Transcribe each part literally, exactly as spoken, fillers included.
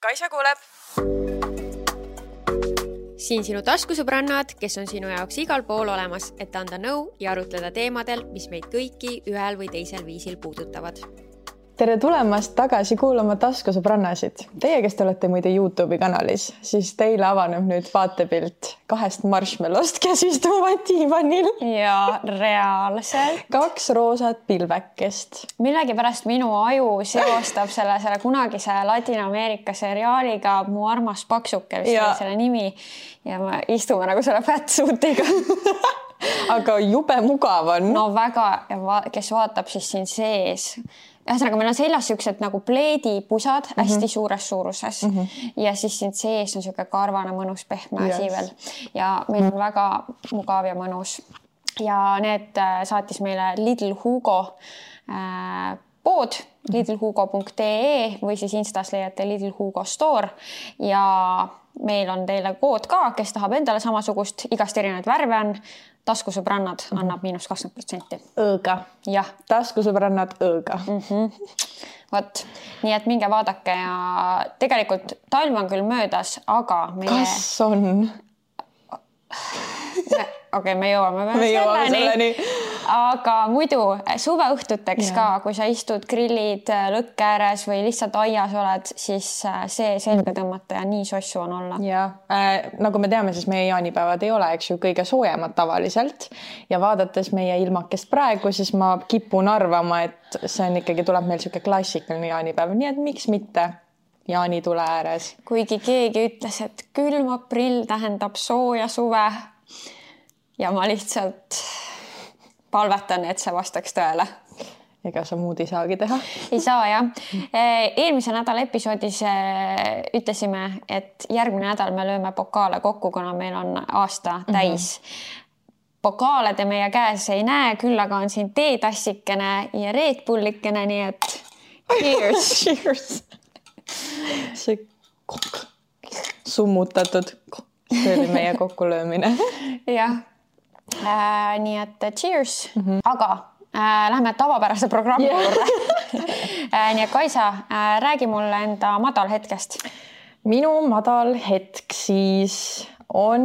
Kaisa kuuleb. Siin sinu taskusõbrannad, kes on sinu jaoks igal pool olemas, et anda nõu ja arutleda teemadel, mis meid kõiki ühel või teisel viisil puudutavad. Tere tulemast tagasi kuulama taskusõbrannasid. Teie, kes te olete muide YouTube'i kanalis, siis teile avaneb nüüd vaatepilt kahest marshmallowst, kes istuvad diivanil. Ja reaalselt. Kaks roosat pilvekest. Millegi pärast minu aju seostab selle, selle kunagise Ladina-Ameerika seriaaliga Mu armas paksuke, vist oli selle nimi. Ja me istume nagu selle fatsuutiga. Aga jube mugav on. No väga, ja va- kes vaatab siis siin sees. Ühesõnaga, meil on seljas siuksed nagu pleedipusad mm -hmm. hästi suures suuruses mm -hmm. ja siis siin sees on siuke karvane mõnus pehme yes. asi veel ja meil on väga mugav ja mõnus. Ja need saatis meile Lidl Hugo äh, pood lidl hugo punkt ee või siis Instas leiate Lidl Hugo Store ja meil on teile kood ka, kes tahab endale samasugust, igast erinevaid värve on. Taskusõbrannad annab miinus kakskümmend protsenti. Õõga. Jah. Taskusõbrannad õõga. Mm -hmm. Vot, nii et minge vaadake ja tegelikult talv on küll möödas, aga meie... Kas on? Okei, okay, me jõuame me jõuame selleni. Aga muidu suveõhtuteks ja. Ka, kui sa istud grillid lõkke ääres või lihtsalt aias oled, siis see selga tõmmata ja nii sossu on olla. Ja, äh, nagu me teame, siis meie jaanipäevad ei ole, eks ju, kõige soojemad tavaliselt ja vaadates meie ilmakest praegu, siis ma kipun arvama, et see on ikkagi, tuleb meil siuke klassikaline jaanipäev, nii et miks mitte jaanitule ääres. Kuigi keegi ütles, et külm aprill tähendab sooja suve ja ma lihtsalt... palvetan, et see vastaks tõele. Ega sa muud ei saagi teha? Ei saa, jah. Eelmise nädala episoodis ütlesime, et järgmine nädal me lööme pokaale kokku, kuna meil on aasta täis. Mm-hmm. Pokaale te meie käes ei näe, küll aga on siin teetassikene ja Red Bullikene, nii et cheers! Cheers! See kokk. Summutatud. See oli meie kokkulöömine. Jah. Äh, nii et cheers, mm -hmm. aga äh, lähme tavapärase programmi yeah. juurde. äh, nii et Kaisa, äh, räägi mulle enda madal hetkest. Minu madal hetk siis on,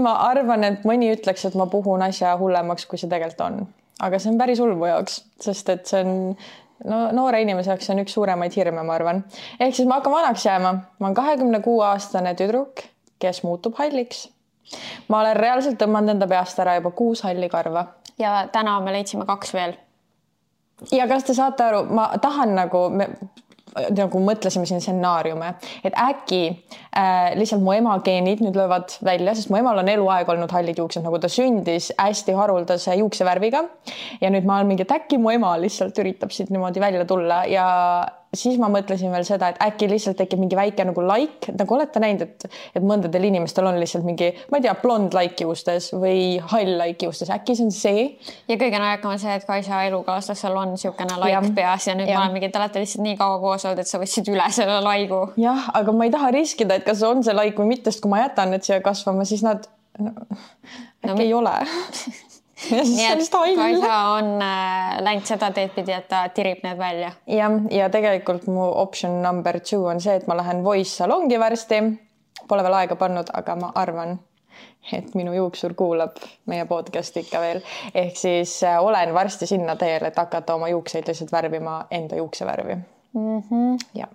ma arvan, et mõni ütleks, et ma puhun asja hullemaks, kui see tegelikult on. Aga see on päris hull mu jaoks, sest et see on no, noore inimese jaoks on üks suuremaid hirme, ma arvan. Ehk siis ma hakkan vanaks jääma. Ma olen kahekümne kuue aastane tüdruk, kes muutub halliks. Ma olen reaalselt tõmmanud enda peast ära juba kuus halli karva. Ja täna me leidsime kaks veel. Ja kas te saate aru, ma tahan nagu, me, nagu mõtlesime siin stsenaariume, et äkki äh, lihtsalt mu ema geenid nüüd löövad välja, sest mu emal on eluaeg olnud hallid juuksed, nagu ta sündis hästi haruldase juuksevärviga. Ja nüüd ma olen mingi, et äkki mu ema lihtsalt üritab siit niimoodi välja tulla ja siis ma mõtlesin veel seda, et äkki lihtsalt tekib mingi väike nagu laik, nagu olete näinud, et, et mõndadel inimestel on lihtsalt mingi, ma ei tea, blond laik juustes või hall laik juustes, äkki see on see. Ja kõige najakam on see, et Kaisa elukaaslasel on siukene laik ja. Peas ja nüüd ja. Ma olen mingi, et olete lihtsalt nii kaua koos olnud, et sa võtsid üle selle laigu. Jah, aga ma ei taha riskida, et kas on see laik või mitte, sest kui ma jätan need siia kasvama, siis nad no, äkki no, ei ole. Ja nii et Kaisa on äh, läinud seda teed pidi, et ta tirib need välja. Ja, ja tegelikult mu option number two on see, et ma lähen voice salongi varsti. Pole veel aega pannud, aga ma arvan, et minu juuksur kuulab meie podcast ikka veel. Ehk siis äh, olen varsti sinna teel, et hakata oma juukseid lihtsalt värvima enda juuksevärvi. Mm-hmm. Ja.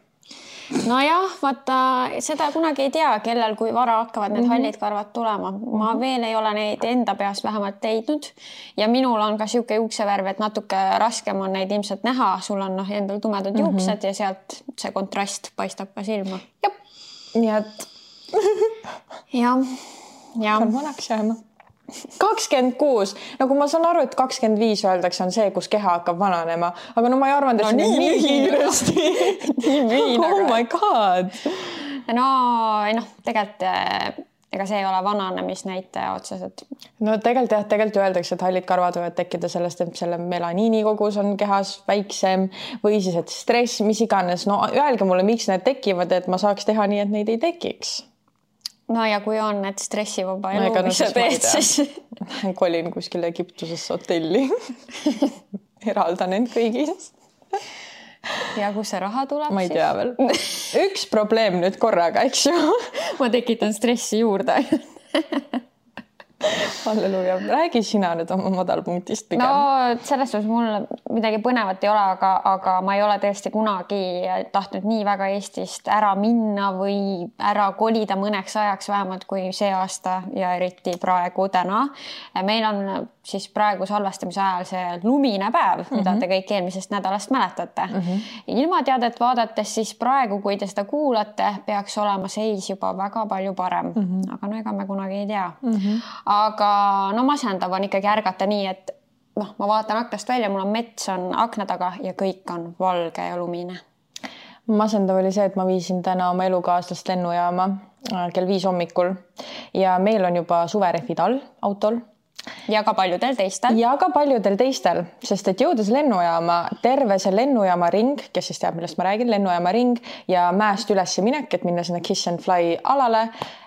No jah, vaata, seda kunagi ei tea, kellel kui vara hakkavad need mm-hmm. hallid karvad tulema. Ma mm-hmm. veel ei ole neid enda peast vähemalt leidnud ja minul on ka siuke juuksevärv, et natuke raskem on neid ilmselt näha. Sul on noh, endal tumedad mm-hmm. juuksed ja sealt see kontrast paistab ka silma. Jop. Nii et ja. Ja. On vanaks jääma. kakskümmend kuus, nagu ma saan aru, et kakskümmend viis öeldakse on see, kus keha hakkab vananema, aga no ma ei arvanud, et no, nii, nii kiiresti. nii miin, oh aga... my god. No, noh, tegelikult ega see ei ole vananemisnäitaja otseselt. No tegelikult jah, tegelikult öeldakse, et hallid karvad võivad tekkida sellest, et selle melaniini kogus on kehas väiksem või siis, et stress, mis iganes. No öelge mulle, miks need tekivad, et ma saaks teha nii, et neid ei tekiks. No ja kui on need stressivaba elu, no, mis sa teed, siis... Kolin kuskil Egiptusesse hotelli. Eraldan end kõigis. ja kus see raha tuleb? Ma ei tea veel. Üks probleem nüüd korraga, eks ju? Ma tekitan stressi juurde. Halleluuja. Räägi sina nüüd oma madalpunktist pigem. No selles suhtes mul midagi põnevat ei ole, aga, aga ma ei ole tõesti kunagi tahtnud nii väga Eestist ära minna või ära kolida mõneks ajaks vähemalt kui see aasta ja eriti praegu täna. Meil on siis praegu salvestamise ajal see lumine päev, mm-hmm. mida te kõik eelmisest nädalast mäletate. Mm-hmm. Ilmateadet vaadates siis praegu, kui te seda kuulate, peaks olema seis juba väga palju parem. Mm-hmm. Aga no ega me kunagi ei tea. Mm-hmm. Aga no masendav on ikkagi ärgata nii, et noh, ma vaatan aknast välja, mul on mets on akna taga ja kõik on valge ja lumine. Masendav oli see, et ma viisin täna oma elukaaslast lennujaama kell viis hommikul ja meil on juba suverehvid all autol. Ja ka paljudel teistel. Ja ka paljudel teistel, sest et jõudes lennujaama, terve see lennujaama ring, kes siis teab, millest ma räägin, lennujaama ring ja mäest üles minek, et minna sinna Kiss and Fly alale,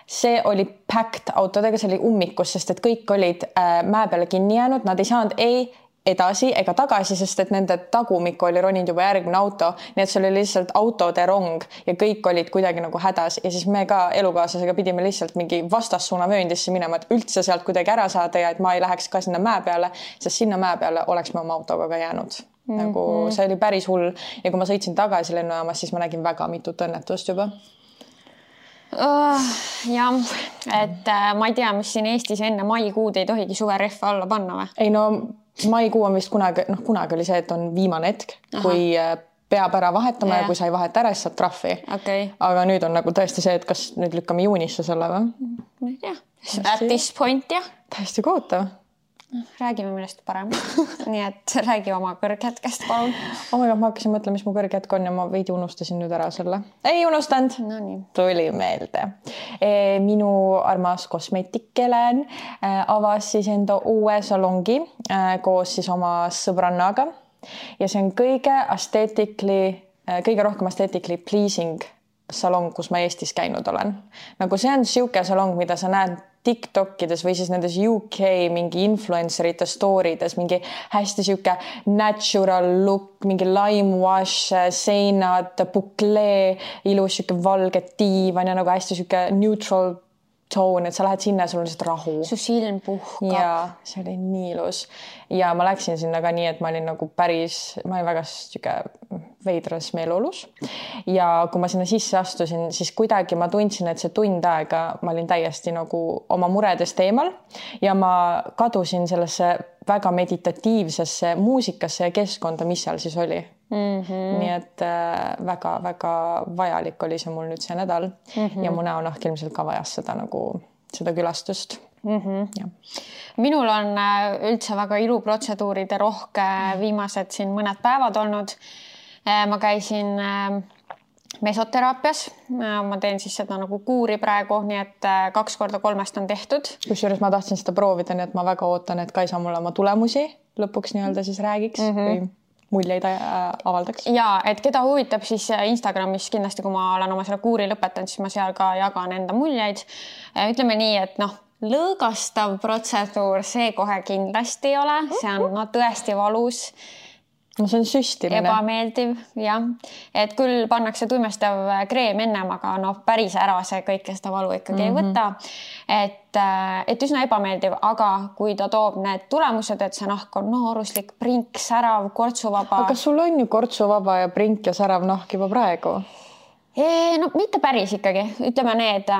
see oli packed autodega, see oli ummikus, sest et kõik olid äh, mäe peale kinni jäänud, nad ei saanud ei edasi ega tagasi, sest et nende tagumikku oli roninud juba järgmine auto, nii et see oli lihtsalt autode rong ja kõik olid kuidagi nagu hädas ja siis me ka elukaaslasega pidime lihtsalt mingi vastassuuna vööndisse minema, et üldse sealt kuidagi ära saada ja et ma ei läheks ka sinna mäe peale, sest sinna mäe peale oleks me oma autoga ka jäänud. Mm-hmm. Nagu see oli päris hull ja kui ma sõitsin tagasi lennujaamas, siis ma nägin väga mitut õnnetust juba. Oh, jah, et äh, ma ei tea, mis siin Eestis enne maikuud ei tohigi suverehve alla panna või? Ei no maikuu on vist kunagi, noh kunagi oli see, et on viimane hetk, Aha. kui peab ära vahetama ja, ja kui sa ei vaheta ära, siis saad trahvi. Okay. Aga nüüd on nagu tõesti see, et kas nüüd lükkame juunisse selle või? Ma ei tea. At this point, jah. Täiesti kohutav. Räägime millest parem. Nii et räägi oma kõrghetkest, palun. Oh my God, ma hakkasin mõtlema, mis mu kõrghetk on ja ma veidi unustasin nüüd ära selle. Ei unustanud. No nii. Tuli meelde. E, minu armas kosmeetikelen e, avas siis enda uue salongi e, koos siis oma sõbrannaga ja see on kõige aesthetically, e, kõige rohkem aesthetically pleasing salong, kus ma Eestis käinud olen. Nagu see on siuke salong, mida sa näed TikTokides või siis nendes U K mingi influencerite storydes, mingi hästi siuke natural look, mingi lime wash, seinad, buklee, ilus siuke valge diivan ja nagu hästi siuke neutral tone, et sa lähed sinna ja sul on lihtsalt rahu. Su silm puhkab. Ja see oli nii ilus. Ja ma läksin sinna ka nii, et ma olin nagu päris, ma olin väga siuke veidras meeleolus. Ja kui ma sinna sisse astusin, siis kuidagi ma tundsin, et see tund aega ma olin täiesti nagu oma muredest eemal ja ma kadusin sellesse väga meditatiivsesse muusikasse ja keskkonda, mis seal siis oli. Mm-hmm. Nii et väga-väga vajalik oli see mul nüüd see nädal mm-hmm. ja mu näonahk ilmselt ka vajas seda nagu seda külastust. Mm-hmm. Ja. Minul on üldse väga iluprotseduuride rohke viimased siin mõned päevad olnud. Ma käisin mesoteraapias, ma teen siis seda nagu kuuri praegu, nii et kaks korda kolmest on tehtud. Kusjuures ma tahtsin seda proovida, nii et ma väga ootan, et Kaisa mulle oma tulemusi lõpuks nii-öelda siis räägiks mm-hmm. või muljeid avaldaks. Ja, et keda huvitab, siis Instagramis kindlasti, kui ma olen oma selle kuuri lõpetanud, siis ma seal ka jagan enda muljeid. Ütleme nii, et noh, lõõgastav protseduur, see kohe kindlasti ei ole, see on no, tõesti valus. No see on süstimine. Ebameeldiv, jah. Et küll pannakse tuimestav kreem ennem, aga no päris ära see kõike seda valu ikkagi mm-hmm. ei võta. Et, et üsna ebameeldiv, aga kui ta toob need tulemused, et see nahk on nooruslik, prink, särav, kortsuvaba. Aga sul on ju kortsuvaba ja prink ja särav nahk juba praegu? E, no mitte päris ikkagi. Ütleme need...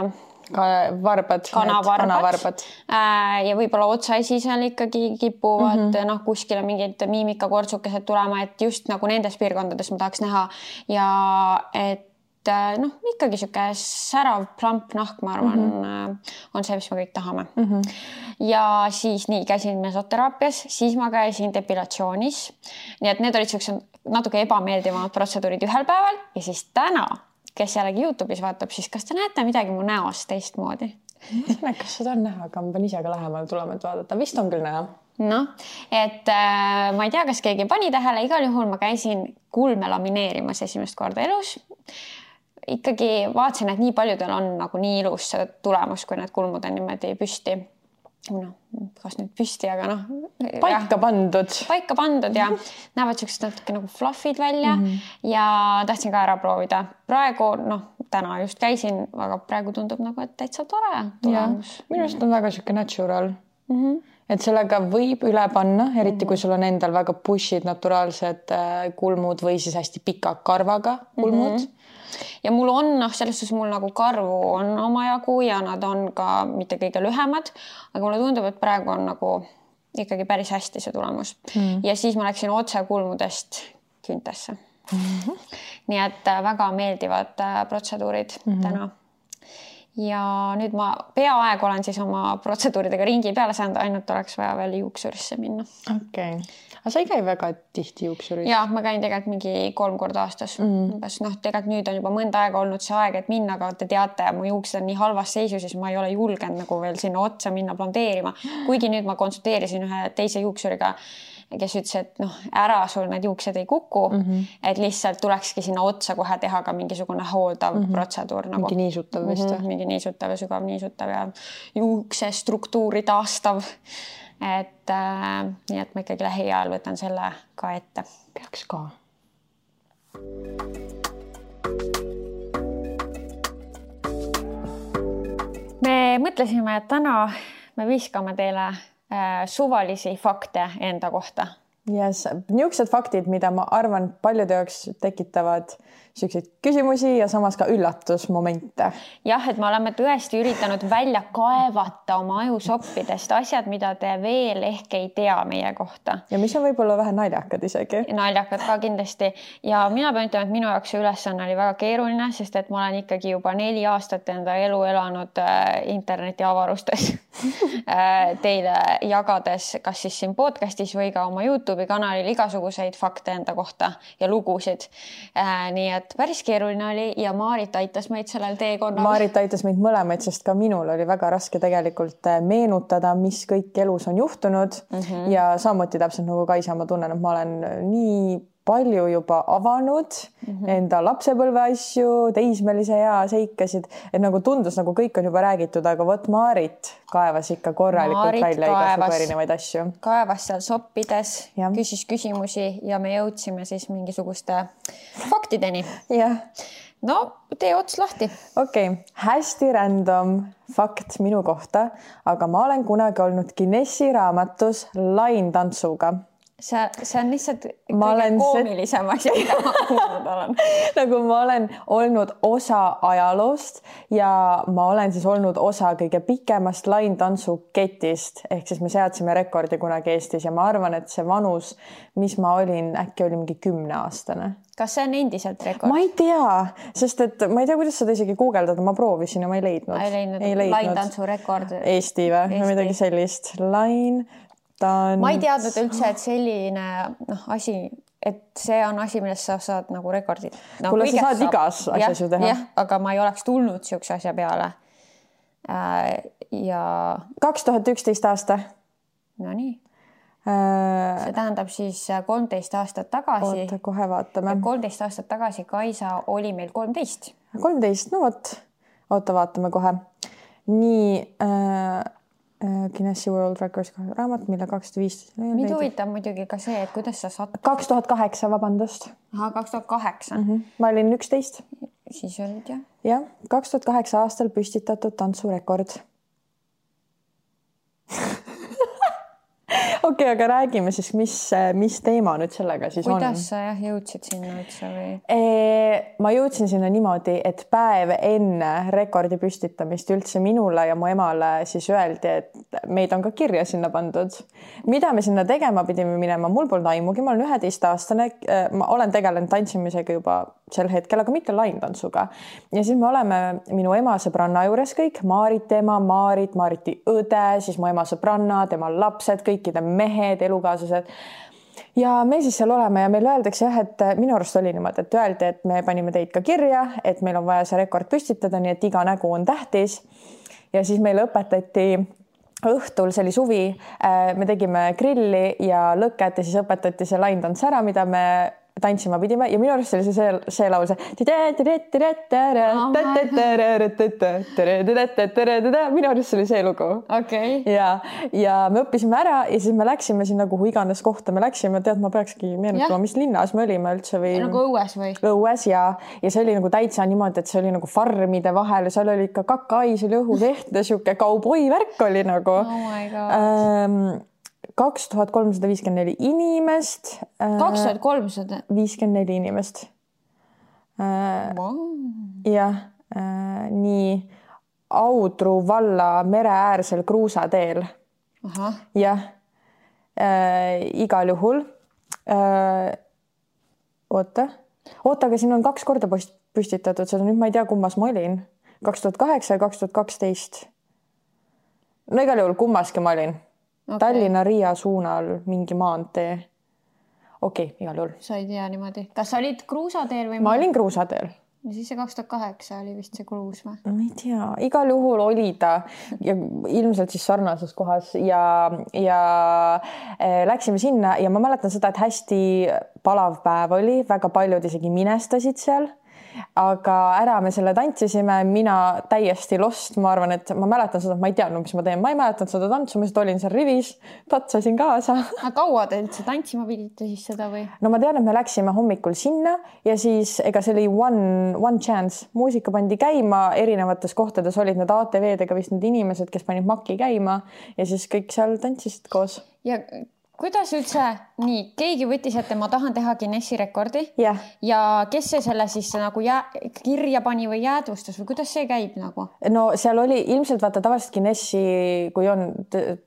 Ka varbad, kanavarbad, kanavarbad. Ja võib-olla otsaisi seal ikkagi kipuvad mm-hmm. noh, kuskile mingid miimikakortsukesed tulema, et just nagu nendes piirkondades ma tahaks näha ja et noh, ikkagi siuke särav plamp nahk, ma arvan, mm-hmm. on see, mis me kõik tahame. Mm-hmm. Ja siis nii, käisin mesoteraapias, siis ma käisin depilatsioonis. Nii et need olid siuksed natuke ebameeldivamad protseduurid ühel päeval ja siis täna kes jällegi YouTube'is vaatab, siis kas te näete midagi mu näost teistmoodi? Kas seda on näha, aga ma pean ise ka lähemal tulema, et vaadata. Vist on küll näha. No, et äh, ma ei tea, kas keegi pani tähele, igal juhul ma käisin kulme lamineerimas esimest korda elus. Ikkagi vaatasin, et nii paljudel on nagu nii ilus see tulemus, kui need kulmud on niimoodi püsti. noh, kas nüüd püsti, aga noh. Paika pandud. Paika pandud ja näevad sellised natuke nagu fluffid välja mm -hmm. ja tahtsin ka ära proovida. Praegu, noh, täna just käisin, aga praegu tundub nagu, et täitsa tore tulemus. Minu arust on väga siuke natural. Mm -hmm. Et sellega võib üle panna, eriti mm -hmm. kui sul on endal väga pushid naturaalsed kulmud või siis hästi pika karvaga kulmud. Mm -hmm. Ja mul on, noh, selles suhtes mul nagu karvu on omajagu ja nad on ka mitte kõige lühemad, aga mulle tundub, et praegu on nagu ikkagi päris hästi see tulemus. Mm. Ja siis ma läksin otse kulmudest küntesse. Mm -hmm. Nii et väga meeldivad protseduurid mm -hmm. täna. Ja nüüd ma peaaegu olen siis oma protseduuridega ringi peale saanud, ainult oleks vaja veel juuksurisse minna. Okei. Okay. Aga sa ei käi väga tihti juuksuris? Ja, ma käin tegelikult mingi kolm korda aastas. Mm. Umbes, noh, tegelikult nüüd on juba mõnda aega olnud see aeg, et minna, aga te teate, mu juuksed on nii halvas seisus, siis ma ei ole julgenud nagu veel sinna otsa minna blondeerima. Kuigi nüüd ma konsulteerisin ühe teise juuksuriga, kes ütles, et noh, ära sul need juuksed ei kuku, mm -hmm. et lihtsalt tulekski sinna otsa kohe teha ka mingisugune hooldav mm -hmm. protseduur. Nagu. Mingi niisutav vist. Mm -hmm. Mingi niisutav ja sügav niisutav ja juukse struktuuri taastav. Et äh, nii, et ma ikkagi lähiajal võtan selle ka ette. Peaks ka. Me mõtlesime, et täna me viskame teile äh, suvalisi fakte enda kohta. Yes. Niisugused faktid, mida ma arvan paljude jaoks tekitavad selliseid küsimusi ja samas ka üllatusmomente. Jah, et me oleme tõesti üritanud välja kaevata oma ajusoppidest asjad, mida te veel ehk ei tea meie kohta. Ja mis on võib-olla vähe naljakad isegi. Naljakad ka kindlasti. Ja mina pean ütlema, et minu jaoks see ülesanne oli väga keeruline, sest et ma olen ikkagi juba neli aastat enda elu elanud interneti avarustes teile jagades, kas siis siin podcastis või ka oma YouTube'i kanalil igasuguseid fakte enda kohta ja lugusid. Nii et päris keeruline oli ja Maarit aitas meid sellel teekonnal. Maarit aitas meid mõlemaid, sest ka minul oli väga raske tegelikult meenutada, mis kõik elus on juhtunud mm -hmm. ja samuti täpselt nagu Kaisa, ma tunnen, et ma olen nii palju juba avanud mm -hmm. enda lapsepõlve asju, teismelise ea seikasid, et nagu tundus, nagu kõik on juba räägitud, aga vot Maarit kaevas ikka korralikult Maarit välja igasugu erinevaid asju. Kaevas seal soppides, ja. küsis küsimusi ja me jõudsime siis mingisuguste faktideni. Jah. No, tee ots lahti. Okei, okay. Hästi random fakt minu kohta, aga ma olen kunagi olnud Guinessi raamatus laintantsuga. See, see on lihtsalt kõige koomilisem asi, mida ma kuulnud olen. Nagu ma olen olnud osa ajaloost ja ma olen siis olnud osa kõige pikemast laintantsuketist, ehk siis me seadsime rekordi kunagi Eestis ja ma arvan, et see vanus, mis ma olin, äkki oli mingi kümneaastane. Kas see on endiselt rekord? Ma ei tea, sest et ma ei tea, kuidas seda isegi guugeldada, ma proovisin ja ma ei leidnud. Ei leidnud, ei leidnud. Laintantsu rekord. Eesti või? Eesti. Midagi sellist. Lain... Ma ei teadnud üldse, et selline noh, asi, et see on asi, millest sa saad nagu rekordid. No, kuule, sa saad igas asjas ju teha. Jah, aga ma ei oleks tulnud siukse asja peale. Ja... kaks tuhat üksteist aasta. No nii. Äh... See tähendab siis kolmteist aastat tagasi. Oota, kohe vaatame. kolmteist aastat tagasi Kaisa oli meil kolmteist. kolmteist, no vot. Oota, vaatame kohe. Nii... Äh... Guinessi World Records raamat, mille kaks tuhat viis. Mind huvitab muidugi ka see, et kuidas sa saad... kaks tuhat kaheksa, vabandust. Aha, kaks tuhat kaheksa. Mm -hmm. Ma olin üksteist. Siis olid, jah. Jah, kaks tuhat kaheksa aastal püstitatud tantsurekord. Okei, okay, aga räägime siis, mis, mis teema nüüd sellega siis kuidas on. Kuidas sa jah, jõudsid sinna üldse või? E, ma jõudsin sinna niimoodi, et päev enne rekordi püstitamist üldse minule ja mu emale siis öeldi, et meid on ka kirja sinna pandud. Mida me sinna tegema pidime minema? Mul polnud aimugi, ma olen üheteistaastane, ma olen tegelenud tantsimisega juba sel hetkel, aga mitte laintantsuga. Ja siis me oleme minu ema sõbranna juures kõik, Maarit ema, Maarit, Maariti õde, siis mu ema sõbranna, tema lapsed, kõikide mehed, elukaaslased. Ja me siis seal oleme ja meil öeldakse jah, et minu arust oli niimoodi, et öeldi, et me panime teid ka kirja, et meil on vaja see rekord püstitada, nii et iga nägu on tähtis. Ja siis meile õpetati õhtul, see oli suvi, me tegime grilli ja lõket ja siis õpetati see laintants ära, mida me tantsima pidime ja minu arust oli see see, see laul see minu arust oli see lugu. Okay. Ja, ja me õppisime ära ja siis me läksime sinna, kuhu iganes kohta me läksime. Tead, ma peakski meenutama, mis linnas me olime üldse või... Nagu õues või? Õues ja, ja see oli nagu täitsa niimoodi, et see oli nagu farmide vahel ja seal oli ikka kakais oli õhus ehte, siuke kauboi värk oli nagu. Oh my God. kaks tuhat kolmsada viiskümmend neli inimest. kaks tuhat kolmsada viiskümmend neli inimest. Wow. Jah, nii Audru valla mereäärsel kruusateel. Aha. Jah, igal juhul. Oota, oota, aga siin on kaks korda püstitatud, seda nüüd ma ei tea, kummas ma olin. kaks tuhat kaheksa ja kaks tuhat kaksteist. No igal juhul kummaski ma olin. Okay. Tallinna-Riia suunal mingi maantee. Okei, okay, igal juhul. Sa ei tea niimoodi. Kas sa olid kruusateel või? Ma olin kruusateel. Ja siis see kaks tuhat kaheksa oli vist see kruus või? Ma ei tea, igal juhul oli ta ja ilmselt siis sarnases kohas ja, ja äh, läksime sinna ja ma mäletan seda, et hästi palav päev oli, väga paljud isegi minestasid seal. Aga ära me selle tantsisime, mina täiesti lost, ma arvan, et ma mäletan seda, et ma ei teadnud, mis ma teen, ma ei mäletan seda tantsu, ma just olin seal rivis, tatsasin kaasa. Aga kaua te üldse tantsima pidite siis seda või? No ma tean, et me läksime hommikul sinna ja siis ega see oli one, one chance, muusika pandi käima, erinevates kohtades olid need A T V-dega vist need inimesed, kes panid makki käima ja siis kõik seal tantsisid koos. Ja kuidas üldse, nii, keegi võttis, et ma tahan teha Guinessi rekordi yeah. Ja kes see selle siis nagu jää, kirja pani või jäädvustas või kuidas see käib nagu? No seal oli ilmselt vaata tavaliselt Guinessi, kui on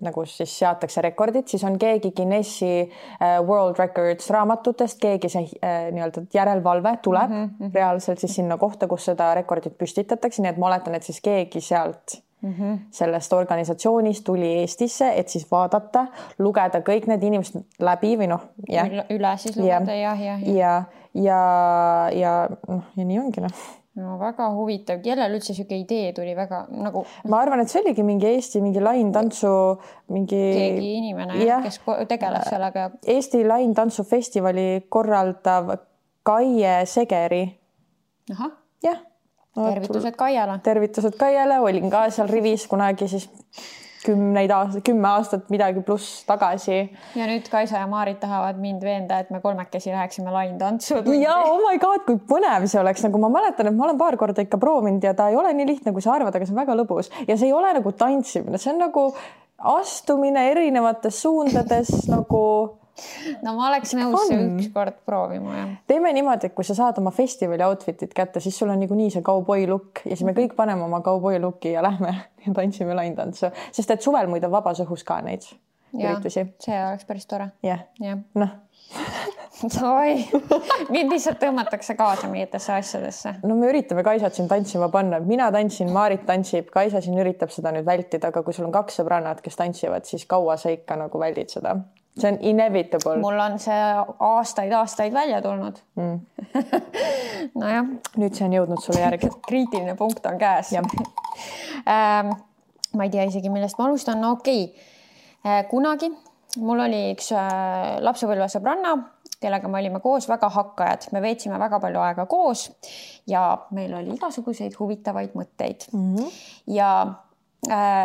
nagu siis seatakse rekordid, siis on keegi Guinessi uh, World Records raamatutest, keegi see uh, nii-öelda järelvalve tuleb mm -hmm. reaalselt siis sinna kohta, kus seda rekordit püstitatakse, nii et ma oletan, et siis keegi sealt Mm-hmm. sellest organisatsioonist tuli Eestisse, et siis vaadata, lugeda kõik need inimesed läbi või noh, jah. Üle siis lugeda, jah, jah. Ja, ja, ja, noh, ja nii ongi, noh. No väga huvitav, kellel üldse siuke idee tuli väga nagu... Ma arvan, et see oligi mingi Eesti, mingi laintantsu, mingi... Keegi inimene, ja. kes tegeleb sellega. Eesti laintantsufestivali korraldav Kaie Segeri. Aha. Jah. No, tervitused Kaiale. Tervitused Kaiale, olin ka seal rivis kunagi siis kümneid aastat, kümme aastat midagi pluss tagasi. Ja nüüd Kaisa ja Maarit tahavad mind veenda, et me kolmekesi läheksime laintantsu. Ja oh my God, kui põnev see oleks. Nagu ma mäletan, et ma olen paar korda ikka proovinud ja ta ei ole nii lihtne, kui sa arvad, aga see on väga lõbus. Ja see ei ole nagu tantsimine, see on nagu astumine erinevates suundades nagu... No ma oleks nõus see üks kord proovima. Ja. Teeme niimoodi, et kui sa saad oma festivali outfitit kätte, siis sul on nagu nii see kauboi look ja siis me kõik paneme oma kauboi looki ja lähme ja tantsime laintantsu. Sest et suvel muid on vabas õhus ka neid üritusi. See oleks päris tore. Jah, ja. Noh. Oi, mind lihtsalt tõmmatakse kaasa mingitesse asjadesse. No me üritame Kaisat siin tantsima panna. Mina tantsin, Maarit tantsib, Kaisa siin üritab seda nüüd vältida, aga kui sul on kaks sõbrannad, kes tantsivad, siis kaua sa ikka nagu väldid seda. See on inevitable. Mul on see aastaid, aastaid välja tulnud. Mm. No jah. Nüüd see on jõudnud sulle järgi. Kriitiline punkt on käes. ähm, ma ei tea isegi, millest ma alustan. No okei. Okay. Kunagi mul oli üks lapsepõlve sõbranna, kellega me olime koos väga hakkajad. Me veetsime väga palju aega koos ja meil oli igasuguseid huvitavaid mõtteid. Mm-hmm. Ja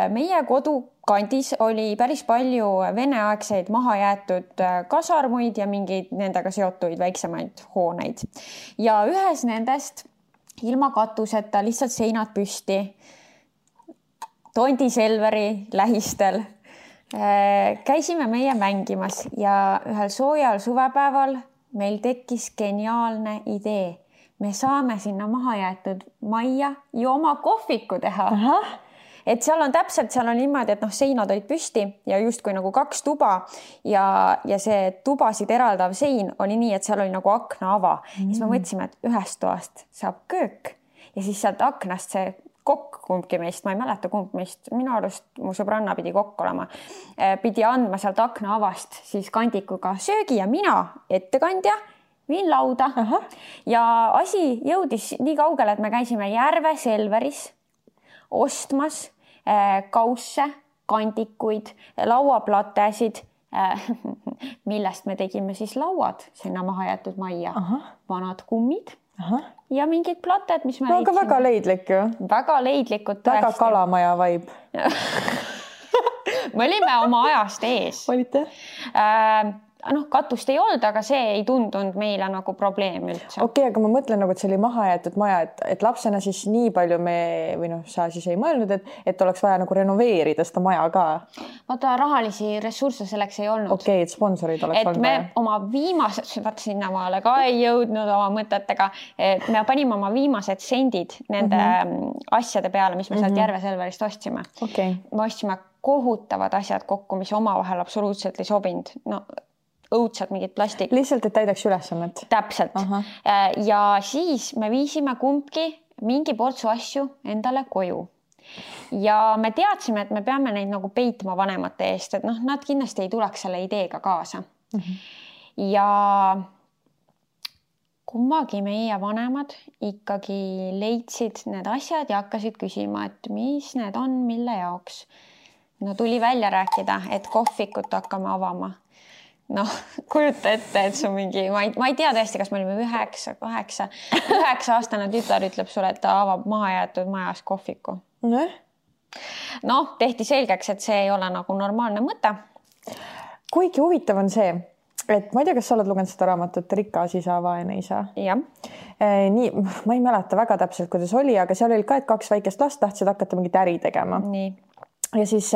meie kodukandis oli päris palju veneaegseid mahajäetud kasarmuid ja mingeid nendega seotuid väiksemaid hooneid. Ja ühes nendest ilma katuseta lihtsalt seinad püsti Tondi Selveri lähistel käisime meie mängimas ja ühel soojal suvepäeval meil tekkis geniaalne idee. Me saame sinna mahajäetud majja ju oma kohviku teha. Aha. Et seal on täpselt, seal on niimoodi, et noh, seinad olid püsti ja justkui nagu kaks tuba ja, ja see tubasid eraldav sein oli nii, et seal oli nagu aknaava. Mm. Ja siis me mõtlesime, et ühest toast saab köök ja siis sealt aknast see kokk kumbki meist, ma ei mäleta kumb meist, minu arust mu sõbranna pidi kokk olema, pidi andma sealt aknaavast siis kandikuga söögi ja mina, ettekandja, viin lauda. Aha. Ja asi jõudis nii kaugele, et me käisime Järve Selveris ostmas kausse, kandikuid, lauaplatesid millest me tegime siis lauad sinna maha jäetud majja. Aha. Vanad kummid Aha. ja mingid plated, mis me no, aga väga leidlik ju. Väga leidlikud. Väga kalamaja vibe. me olime oma ajast ees. Olite? Äh, noh, katust ei olnud, aga see ei tundunud meile nagu probleem üldse. Okei, okay, aga ma mõtlen nagu, et see oli maha jäetud maja, et, et lapsena siis nii palju me, või noh, sa siis ei mõelnud, et, et oleks vaja nagu renoveerida seda maja ka. Vaata, rahalisi ressursse selleks ei olnud. Okei, okay, et sponsorid oleks et olnud me vaja. Oma viimased, vaata sinna maale ka ei jõudnud oma mõtetega, et me panime oma viimased sendid nende mm -hmm. asjade peale, mis me sealt mm -hmm. Järve-Selverist ostsime. Okay. Me ostsime kohutavad asjad kokku, mis omavahel absoluutselt ei sobinud. No, õudsad mingid plastik. Lihtsalt, et täidaks ülesannet. Täpselt. Aha. Ja siis me viisime kumbki mingi portsu asju endale koju. Ja me teadsime, et me peame neid nagu peitma vanemate eest, et noh, nad kindlasti ei tuleks selle ideega kaasa. Mm -hmm. Ja kummagi meie vanemad ikkagi leidsid need asjad ja hakkasid küsima, et mis need on, mille jaoks. No tuli välja rääkida, et kohvikut hakkame avama. Noh, kujuta ette, et su mingi, ma ei, ma ei tea tõesti, kas me olime üheksa, kaheksa, üheksa aastane tütar ütleb sulle, et ta avab maha jäetud majas kohviku. Ne? Noh, tehti selgeks, et see ei ole nagu normaalne mõte. Kuigi huvitav on see, et ma ei tea, kas sa oled lugenud seda raamatut Rikas isa, vaene isa. Jah. Nii, ma ei mäleta väga täpselt, kuidas oli, aga seal oli ka, et kaks väikest last tahtsid hakata mingit äri tegema. Nii. Ja siis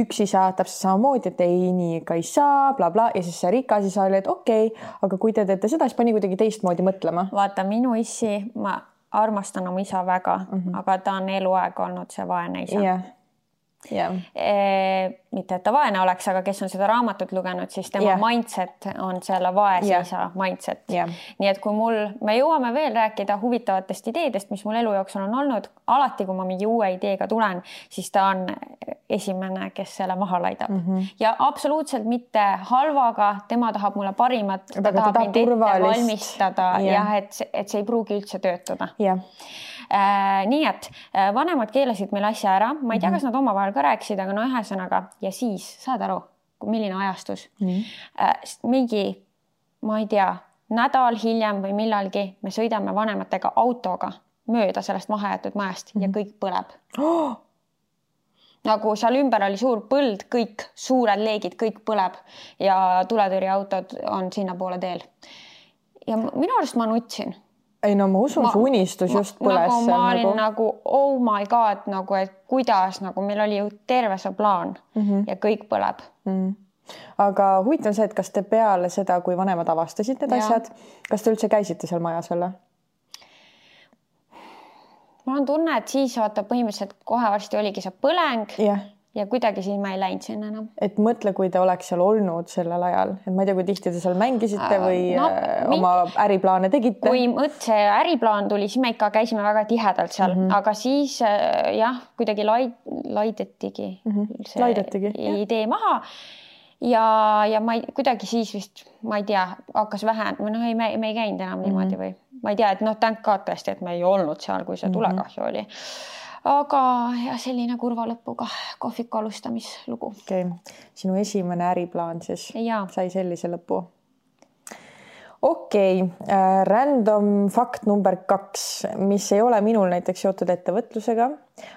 üks isa täpselt samamoodi, et ei, nii ka ei saa, bla, bla. Ja siis see rikas isa oli, et okei, okay, aga kui te teete seda, siis pani kuidagi teistmoodi mõtlema. Vaata, minu issi, ma armastan oma isa väga, mm -hmm. aga ta on eluaeg olnud see vaene isa. Yeah. Yeah. E, mitte, et ta vaene oleks, aga kes on seda raamatut lugenud, siis tema yeah. mindset on selle vaese yeah. isa mindset. Yeah. Nii et kui mul, me jõuame veel rääkida huvitavatest ideedest, mis mul elu jooksul on olnud, alati kui ma mingi uue ideega tulen, siis ta on esimene, kes selle maha laidab. Mm -hmm. Ja absoluutselt mitte halvaga, tema tahab mulle parimat, ta aga tahab ta mind ette turvalist. valmistada yeah. ja et, et see ei pruugi üldse töötada. Yeah. Äh, nii et äh, vanemad keelasid meil asja ära, ma ei tea, kas nad omavahel ka rääkisid, aga no ühesõnaga ja siis saad aru, milline ajastus mm. äh, mingi, ma ei tea, nädal hiljem või millalgi me sõidame vanematega autoga mööda sellest mahajäetud majast mm. ja kõik põleb oh! Nagu seal ümber oli suur põld, kõik suured leegid, kõik põleb ja tuletõrjeautod on sinna poole teel ja minu arust ma nutsin. Ei no ma usun, see unistus ma, just põles. Nagu ma olin nagu... nagu oh my god, nagu et kuidas, nagu meil oli ju terve see plaan mm -hmm. ja kõik põleb. Mm -hmm. Aga huvitav on see, et kas te peale seda, kui vanemad avastasid need ja. asjad, kas te üldse käisite seal majas veel? Mul on tunne, et siis vaata põhimõtteliselt kohe varsti oligi see põleng. Yeah. Ja kuidagi siis ma ei läinud sinna enam. Et mõtle, kui te oleks seal olnud sellel ajal. Et ma ei tea, kui tihti te seal mängisite või no, oma mingi... äriplaane tegite. Kui mõt see äriplaan tuli, siis me ikka käisime väga tihedalt seal. Mm -hmm. Aga siis jah, kuidagi laid, laidetigi mm -hmm. see laidetigi, idee jah. maha. Ja, ja ma ei, kuidagi siis vist, ma ei tea, hakkas vähe. No ei, me, me ei käinud enam mm -hmm. niimoodi või ma ei tea, et noh, thank God tõesti, et me ei olnud seal, kui see tulekahju mm -hmm. oli. Aga ja selline kurva lõpuga kohviku alustamislugu. Okei, okay. Sinu esimene äriplaan siis ja. sai sellise lõpu. Okei, okay. äh, random fakt number kaks, mis ei ole minul näiteks seotud ettevõtlusega,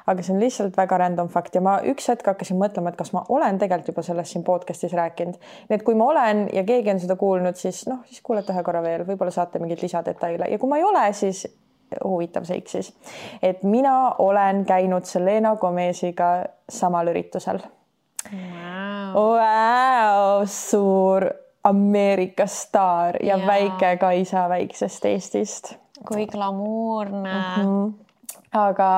aga see on lihtsalt väga random fakt ja ma üks hetk hakkasin mõtlema, et kas ma olen tegelikult juba sellest siin podcastis rääkinud. Nii et kui ma olen ja keegi on seda kuulnud, siis noh, siis kuulete ühe korra veel, võib-olla saate mingeid lisadetaile ja kui ma ei ole, siis huvitav seik siis, et mina olen käinud Selena Gomesiga samal üritusel. Wow. Wow, suur Ameerika staar ja, ja väike Kaisa väiksest Eestist. Kui glamuurne. Mm-hmm. Aga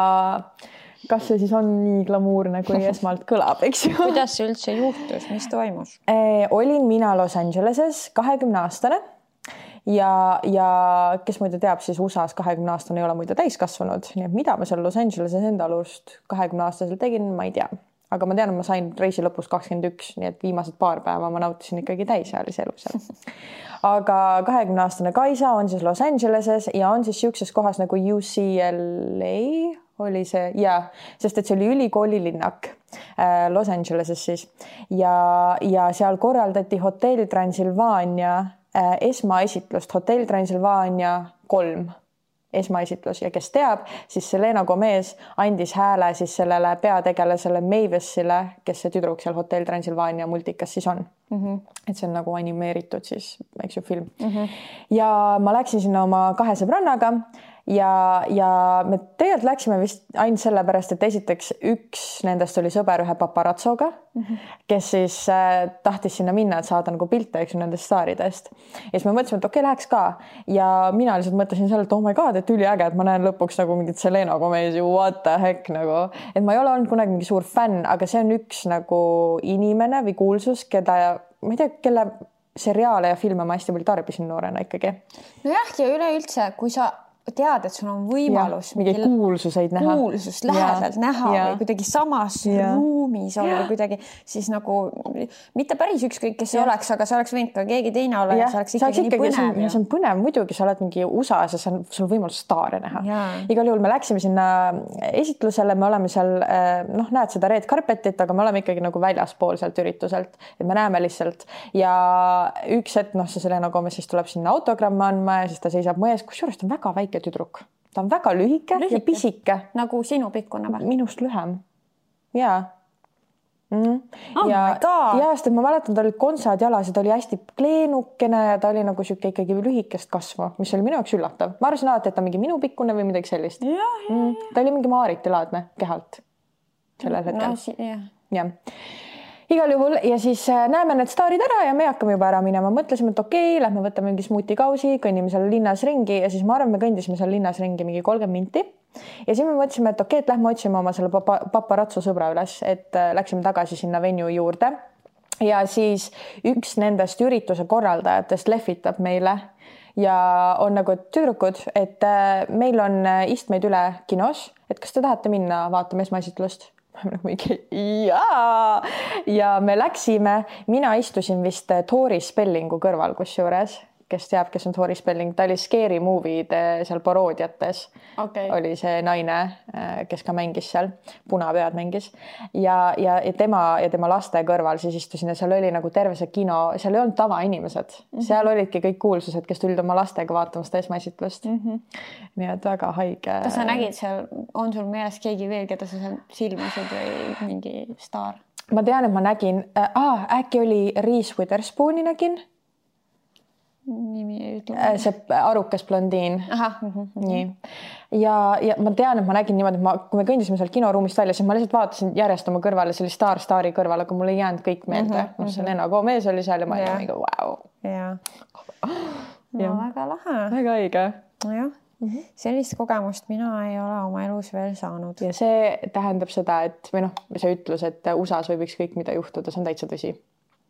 kas see siis on nii glamuurne, kui esmalt kõlab, eks ju? Kuidas see üldse juhtus, mis toimus? E, olin mina Los Angeleses kahekümne aastane. Ja, ja kes muide teab, siis U S A-s kahekümne aastane ei ole muide täiskasvanud, nii et mida ma seal Los Angeleses enda alust kahekümne aastaselt tegin, ma ei tea. Aga ma tean, et ma sain reisi lõpus kakskümmend üks, nii et viimased paar päeva ma nautisin ikkagi täisealise elu seal. Aga kahekümne aastane Kaisa on siis Los Angeleses ja on siis siukses kohas nagu U C L A oli see ja, sest et see oli ülikooli linnak. Los Angeleses siis ja, ja seal korraldati Hotell Transylvania esmaesitlust, Hotell Transylvania kolm esmaesitlus ja kes teab, siis Selena Gomez andis hääle siis sellele peategelasele Mavisile, kes see tüdruk seal Hotell Transylvania multikas siis on. Mm -hmm. et see on nagu animeeritud siis, eks ju, film. Mm -hmm. ja ma läksin sinna oma kahe sõbrannaga ja, ja me tegelikult läksime vist ainult sellepärast, et esiteks üks nendest oli sõber ühe paparazzoga, mm -hmm. kes siis äh, tahtis sinna minna, et saada nagu pilte, eks ju, nendest staaridest. Ja siis me mõtlesime, et okei, läheks ka. Ja mina lihtsalt mõtlesin selle, et oh my god, et üliäge, et ma näen lõpuks nagu mingit Selena Gomez'i, what the heck nagu. Et ma ei ole olnud kunagi mingi suur fänn, aga see on üks nagu inimene või kuulsus, keda, ma ei tea, kelle seriaale ja filme ma hästi palju tarbisin noorena ikkagi. Nojah, ja üleüldse, kui sa tead, et sul on võimalus mingi kuulsuseid näha, kuulsust lähedalt ja. näha ja. või kuidagi samas ja. ruumis olla kuidagi, siis nagu mitte päris ükskõik, kes see oleks, aga see oleks võinud ka keegi teine olla ja, ja see oleks ikkagi nii põnev. See on põnev, muidugi sa oled mingi U S A-s ja see on sul võimalus staare näha. Igal juhul me läksime sinna esitlusele, me oleme seal, noh, näed seda red carpetit, aga me oleme ikkagi nagu väljaspool sealt ürituselt, et me näeme lihtsalt ja üks hetk, noh, see Selena Gomez siis tuleb sinna autogramme andma ja siis ta seisab mões, kusjuures ta on väga väike tüdruk. Ta on väga lühike, lühike ja pisike. Nagu sinu pikkune või? Minust lühem. Jaa. Mm. Oh ja, my god! Ja, sest ma mäletan, ta oli kontsad jalas ja ta oli hästi kleenukene ja ta oli nagu siuke ikkagi lühikest kasvu, mis oli minu jaoks üllatav. Ma arvasin alati, et ta mingi minu pikkune või midagi sellist. Ja, ja, mm. Ta oli mingi Maariti laadne kehalt sellel hetkel. No, si jah. Ja. Igal juhul ja siis näeme need staarid ära ja me hakkame juba ära minema. Mõtlesime, et okei, okay, lähme võtame mingi smuutikausi, kõnnime seal linnas ringi ja siis ma arvan, me kõndisime seal linnas ringi mingi kolmkümmend minti. Ja siis me mõtlesime, et okei, okay, et lähme otsime oma selle papa, paparazzo sõbra üles, et läksime tagasi sinna venue juurde. Ja siis üks nendest ürituse korraldajatest lehvitab meile ja on nagu tüdrukud, et meil on istmeid üle kinos, et kas te tahate minna vaatama esmaesitlust? Jaa! Ja me läksime, mina istusin vist Tori Spellingu kõrval kusjuures, kes teab, kes on Tori Spelling, ta oli Scary Movie'de seal paroodiates. Okay. Oli see naine, kes ka mängis seal, punapead mängis ja, ja, ja tema ja tema laste kõrval siis istusin ja seal oli nagu terve see kino, seal ei olnud tavainimesed, mm -hmm. seal olidki kõik kuulsused, kes tulid oma lastega vaatama seda esmaesitlust. Mm -hmm. Nii et väga haige. Kas sa nägid seal, on sul meeles keegi veel, keda sa seal silmasid või mingi staar? Ma tean, et ma nägin, äh, äkki oli Reese Witherspooni nägin. Nimi see arukas blondiin. Aha. Mm -hmm. Nii. Ja, ja ma tean, et ma nägin niimoodi, et ma, kui me kõndisime seal kinoruumist välja, siis ma lihtsalt vaatasin järjest oma kõrvale, see oli Star Staari kõrval, aga mul ei jäänud kõik meelde. Mm -hmm. Selena Gomez oli seal ja ma olin mingi vau. Ja. No, väga lahe. Väga õige. Nojah. Mm -hmm. Sellist kogemust mina ei ole oma elus veel saanud. Ja see tähendab seda, et või noh, see ütlus, et U S A-s võib ükskõik mida juhtuda, see on täitsa tõsi.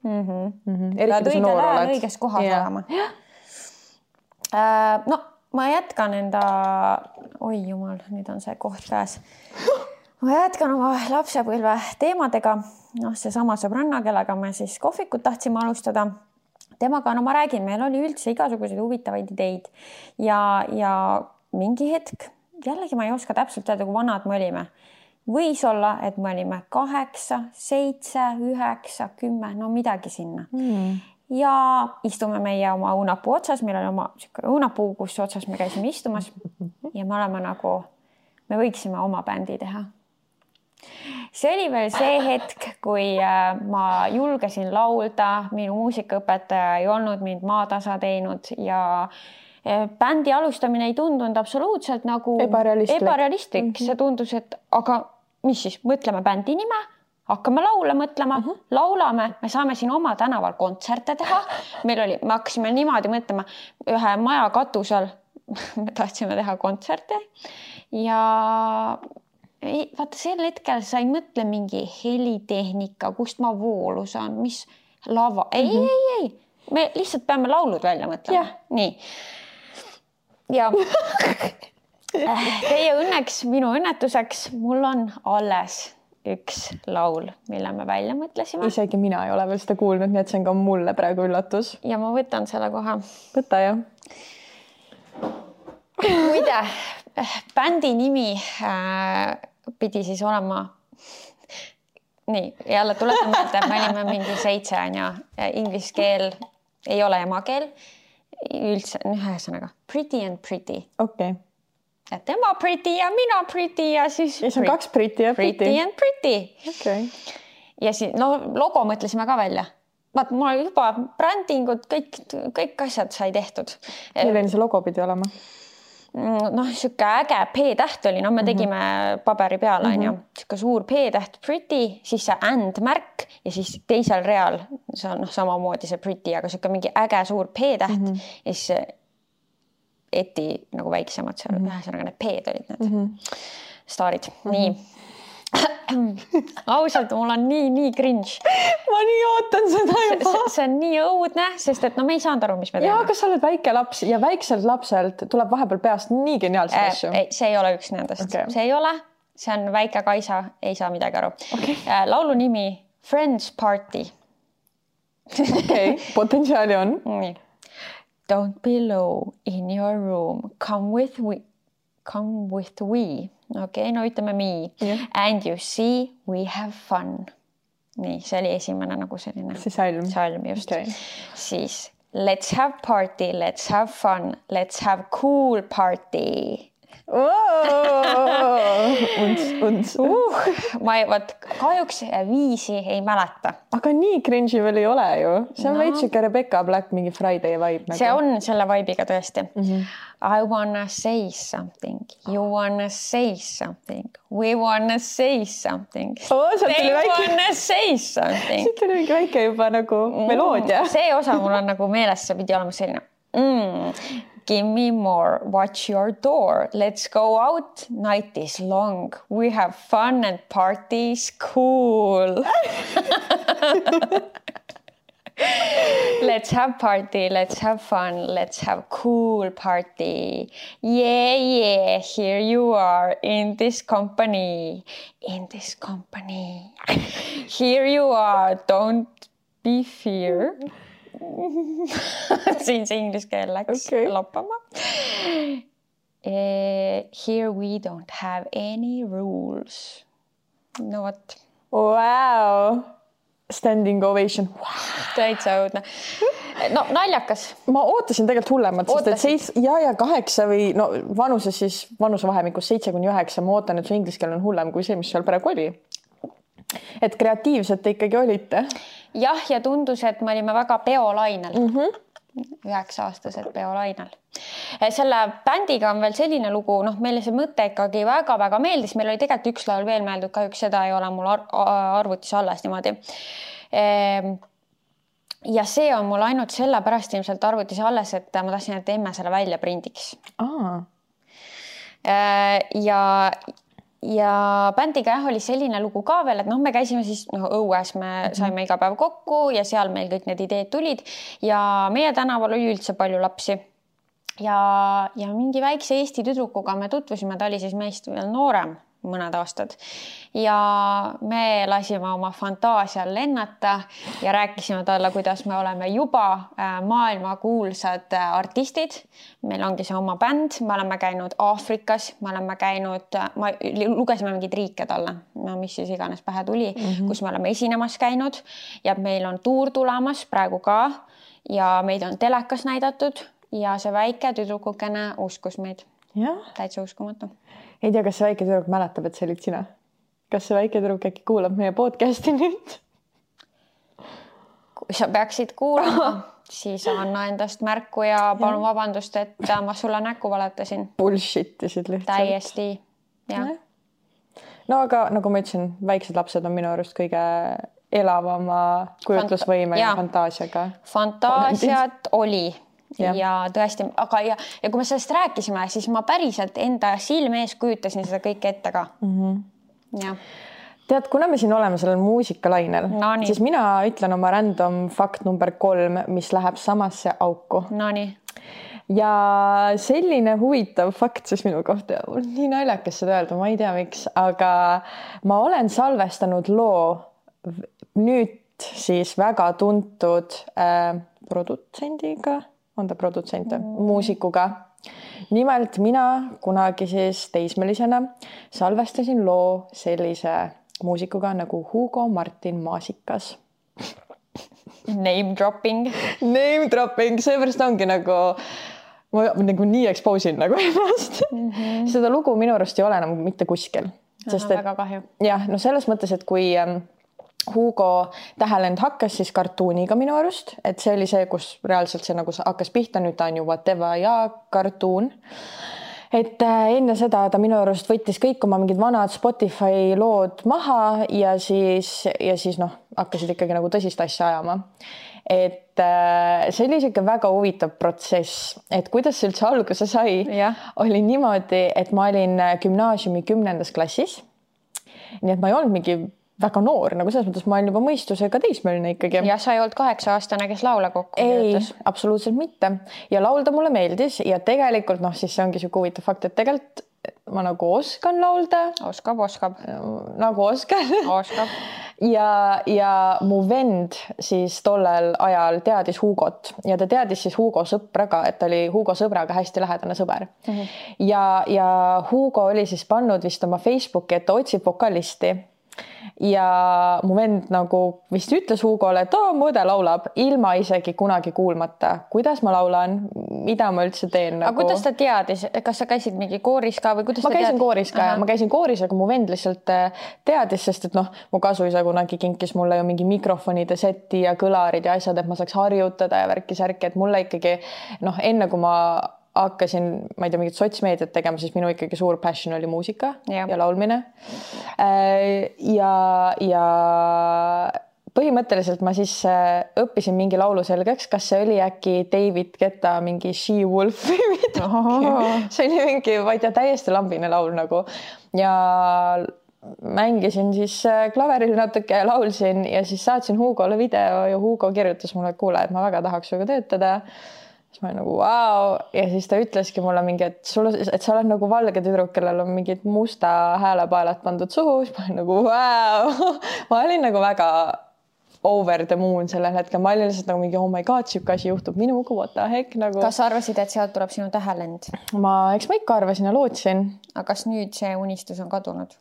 Mm-hmm. Mm-hmm. Pead õigel ajal õiges kohas yeah. olema. Äh, no, ma jätkan enda, oi jumal, nüüd on see koht käes. Ma jätkan oma lapsepõlve teemadega. noh, seesama sõbranna, kellega me siis kohvikut tahtsime alustada. Temaga, no ma räägin, meil oli üldse igasuguseid huvitavaid ideid ja, ja mingi hetk, jällegi ma ei oska täpselt öelda, kui vanad me olime. Võis olla, et me olime kaheksa, seitse, üheksa, kümme, no midagi sinna. Mm. Ja istume meie oma õunapuu otsas, meil oli oma õunapuu, kus otsas me käisime istumas ja me oleme nagu, me võiksime oma bändi teha. See oli veel see hetk, kui ma julgesin laulda, minu muusikaõpetaja ei olnud mind maatasa teinud ja bändi alustamine ei tundunud absoluutselt nagu ebarealistlik. ebarealistlik. Mm-hmm. See tundus, et aga mis siis, mõtleme bändi nime, hakkame laule mõtlema, mm-hmm. laulame, me saame siin oma tänaval kontserte teha. Meil oli, me hakkasime niimoodi mõtlema ühe maja katusel, me tahtsime teha kontserte ja ei, vaata sel hetkel sa ei mõtle mingi helitehnika, kust ma voolu saan, mis lava, ei, mm-hmm. ei, ei, me lihtsalt peame laulud välja mõtlema. Yeah. Nii. Ja teie õnneks, minu õnnetuseks, mul on alles üks laul, mille me välja mõtlesime. Isegi mina ei ole veel seda kuulnud, nii et see on ka mulle praegu üllatus. Ja ma võtan selle koha. Võta, jah. Muide, bändi nimi äh, pidi siis olema nii, jälle tuletan meelde, me olime mingi seitse on ju, inglise keel ei ole emakeel, üldse, ühesõnaga pretty and pretty. Okei. Okay. Et tema pretty ja mina pretty ja siis... Ja see on kaks pretty ja pretty. Pretty and pretty. Okay. Ja siis, no logo mõtlesime ka välja. Vaat, mul oli juba brändingud, kõik, kõik asjad sai tehtud. Milline see logo pidi olema? Noh, siuke äge P-täht oli, no me tegime mm-hmm. paberi peale, on ju. Siuke suur P-täht pretty, siis see and märk ja siis teisel real, see on noh, samamoodi see pretty, aga siuke mingi äge suur P-täht mm-hmm. ja siis eti nagu väiksemad seal, mm-hmm. ühesõnaga need P-d olid need mm-hmm. staarid. Mm-hmm. Nii. Ausalt, mul on nii, nii cringe. Ma nii ootan seda juba. See, see on nii õudne, sest et no me ei saanud aru, mis me teeme. Ja, kas sa oled väike laps ja väikselt lapselt tuleb vahepeal peast nii geniaalseid äh, asju? Ei, see ei ole üks nendest. Okay. See ei ole, see on väike Kaisa, ei saa midagi aru. Okay. Laulu nimi Friends Party. Okei, okay. Potentsiaali on. Nii. Don't be low in your room. Come with we. Come with we. Okei, okay, no ütleme me. Yeah. And you see we have fun. Nii, see oli esimene nagu selline. See salm. Salm, just. Okay. Siis let's have party, let's have fun, let's have cool party. Unts, unts. Uh, ma ei, vaat, kahjuks viisi ei mäleta. Aga nii cringe'i veel ei ole ju. See on no. veits siuke Rebecca Black mingi Friday vibe. Nagu. See on selle vibe'iga tõesti. Mm-hmm. I wanna say something. You wanna say something. We wanna say something. Oh, They väike... wanna say something. Siit oli mingi väike juba nagu meloodia. Mm, see osa mul on nagu meeles, see pidi olema selline. Mm. Give me more, watch your door, let's go out, night is long, we have fun and party is cool. Let's have party, let's have fun, let's have cool party. Yeah, yeah, here you are in this company, in this company. Here you are, don't be fear. siin see inglise keel läks okay. loppama. Uh, here we don't have any rules. No what? Wow. Standing ovation. Wow. Täitsa õudne. No naljakas. Ma ootasin tegelikult hullemat, sest et seits, ja, ja kaheksa või no vanuses siis vanusevahemikus seitse kuni üheksa. Ma ootan, et su inglise keel on hullem kui see, mis seal praegu oli. Et kreatiivselt te ikkagi olite? Jah, ja tundus, et me olime väga peolainel. Mm-hmm. Üheksa aastased peolainel. Selle bändiga on veel selline lugu, noh, meile see mõte ikkagi väga-väga meeldis. Meil oli tegelikult üks laul veel meeldud, kahjuks seda ei ole mul ar arvutis alles niimoodi. Ja see on mul ainult selle pärast ilmselt arvutis alles, et ma tahtsin, et emme selle välja prindiks. Aa. Ja... ja bändiga jah, oli selline lugu ka veel, et noh, me käisime siis noh, õues, me saime iga päev kokku ja seal meil kõik need ideed tulid ja meie tänaval oli üldse palju lapsi ja, ja mingi väikse Eesti tüdrukuga me tutvusime, ta oli siis meist veel noorem mõned aastad ja me lasime oma fantaasial lennata ja rääkisime talle, kuidas me oleme juba maailmakuulsad artistid. Meil ongi see oma bänd, me oleme käinud Aafrikas, me oleme käinud, ma lugesime mingid riike talle, no mis siis iganes pähe tuli, mm-hmm. kus me oleme esinemas käinud ja meil on tuur tulemas praegu ka ja meid on telekas näidatud ja see väike tüdrukukene uskus meid. Ja. Täitsa uskumatu. Ei tea, kas see väike tüdruk mäletab, et see olid sina? Kas see väike tüdruk äkki kuulab meie podcasti nüüd? Kui sa peaksid kuulama, siis anna endast märku ja palun vabandust, et ma sulle näkku valetasin. Bullshitisid lihtsalt. Täiesti, jah. No aga nagu ma ütlesin, väiksed lapsed on minu arust kõige elavama kujutlusvõime Fanta- ja fantaasiaga. Fantaasiat oli. Ja. ja tõesti, aga ja, ja kui me sellest rääkisime, siis ma päriselt enda silme ees kujutasin seda kõike ette ka. Mm-hmm. Ja. Tead, kuna me siin oleme sellel muusikalainel, no, siis mina ütlen oma random fakt number kolm, mis läheb samasse auku. No nii. Ja selline huvitav fakt siis minu kohta, nii naljakas seda öelda, ma ei tea miks, aga ma olen salvestanud loo nüüd siis väga tuntud äh, produtsendiga, on ta produtsent, mm. muusikuga. Nimelt mina kunagi siis teismelisena salvestasin loo sellise muusikuga nagu Hugo Martin Maasikas. Name dropping. Name dropping, seepärast ongi nagu, ma nagu nii expose in nagu ennast. Mm -hmm. Seda lugu minu arust ei ole enam mitte kuskil. Sest, et, väga kahju. Jah, no selles mõttes, et kui Hugo Tähelend hakkas siis kartuuniga minu arust, et see oli see, kus reaalselt see nagu hakkas pihta, nüüd ta on ju Whatever ja kartuun. Et enne seda ta minu arust võttis kõik oma mingid vanad Spotify lood maha ja siis, ja siis noh, hakkasid ikkagi nagu tõsist asja ajama. Et see oli siuke väga huvitav protsess, et kuidas see üldse alguse sai, ja. Oli niimoodi, et ma olin gümnaasiumi kümnendas klassis. Nii et ma ei olnud mingi väga noor, nagu selles mõttes ma olin juba mõistusega teismeline ikkagi. Ja sa ei olnud kaheksa aastane, kes laula kokku ei, töötas? Absoluutselt mitte. Ja laulda mulle meeldis ja tegelikult noh, siis see ongi siuke huvitav fakt, et tegelikult ma nagu oskan laulda. Oskab, oskab. Nagu oskan. Oskab. Ja, ja mu vend siis tollel ajal teadis Hugot ja ta teadis siis Hugo sõpraga, et ta oli Hugo sõbraga hästi lähedane sõber. Mm -hmm. Ja, ja Hugo oli siis pannud vist oma Facebooki, et ta otsib vokalisti. Ja mu vend nagu vist ütles Hugole, et oo, mu õde laulab ilma isegi kunagi kuulmata, kuidas ma laulan, mida ma üldse teen. Aga nagu... kuidas ta teadis? Kas sa käisid mingi kooris ka või kuidas ma ta käisin teadis? kooris ka ja ma käisin kooris, aga mu vend lihtsalt teadis, sest et noh, mu kasuisa kunagi kinkis mulle ju mingi mikrofonide seti ja kõlarid ja asjad, et ma saaks harjutada ja värki-särki, et mulle ikkagi noh, enne kui ma hakkasin, ma ei tea, mingit sotsmeediat tegema, siis minu ikkagi suur passion oli muusika ja, ja laulmine. Ja, ja põhimõtteliselt ma siis õppisin mingi laulu selgeks, kas see oli äkki David Guetta mingi She Wolf või midagi. See oli mingi, ma ei tea, täiesti lambine laul nagu. Ja mängisin siis klaveril natuke ja laulsin ja siis saatsin Hugole video ja Hugo kirjutas mulle, et kuule, et ma väga tahaks suga töötada. Siis ma olin nagu vau ja siis ta ütleski mulle mingi, et, sulle, et sa oled nagu valge tüdruk, kellel on mingid musta häälepaelad pandud suhu. Siis ma olin nagu vau. Ma olin nagu väga over the moon sellel hetkel. Ma olin lihtsalt nagu mingi oh my god, siuke asi juhtub minuga, what the heck nagu. Kas sa arvasid, et sealt tuleb sinu Tähelend? Ma, eks ma ikka arvasin ja lootsin. Aga kas nüüd see unistus on kadunud?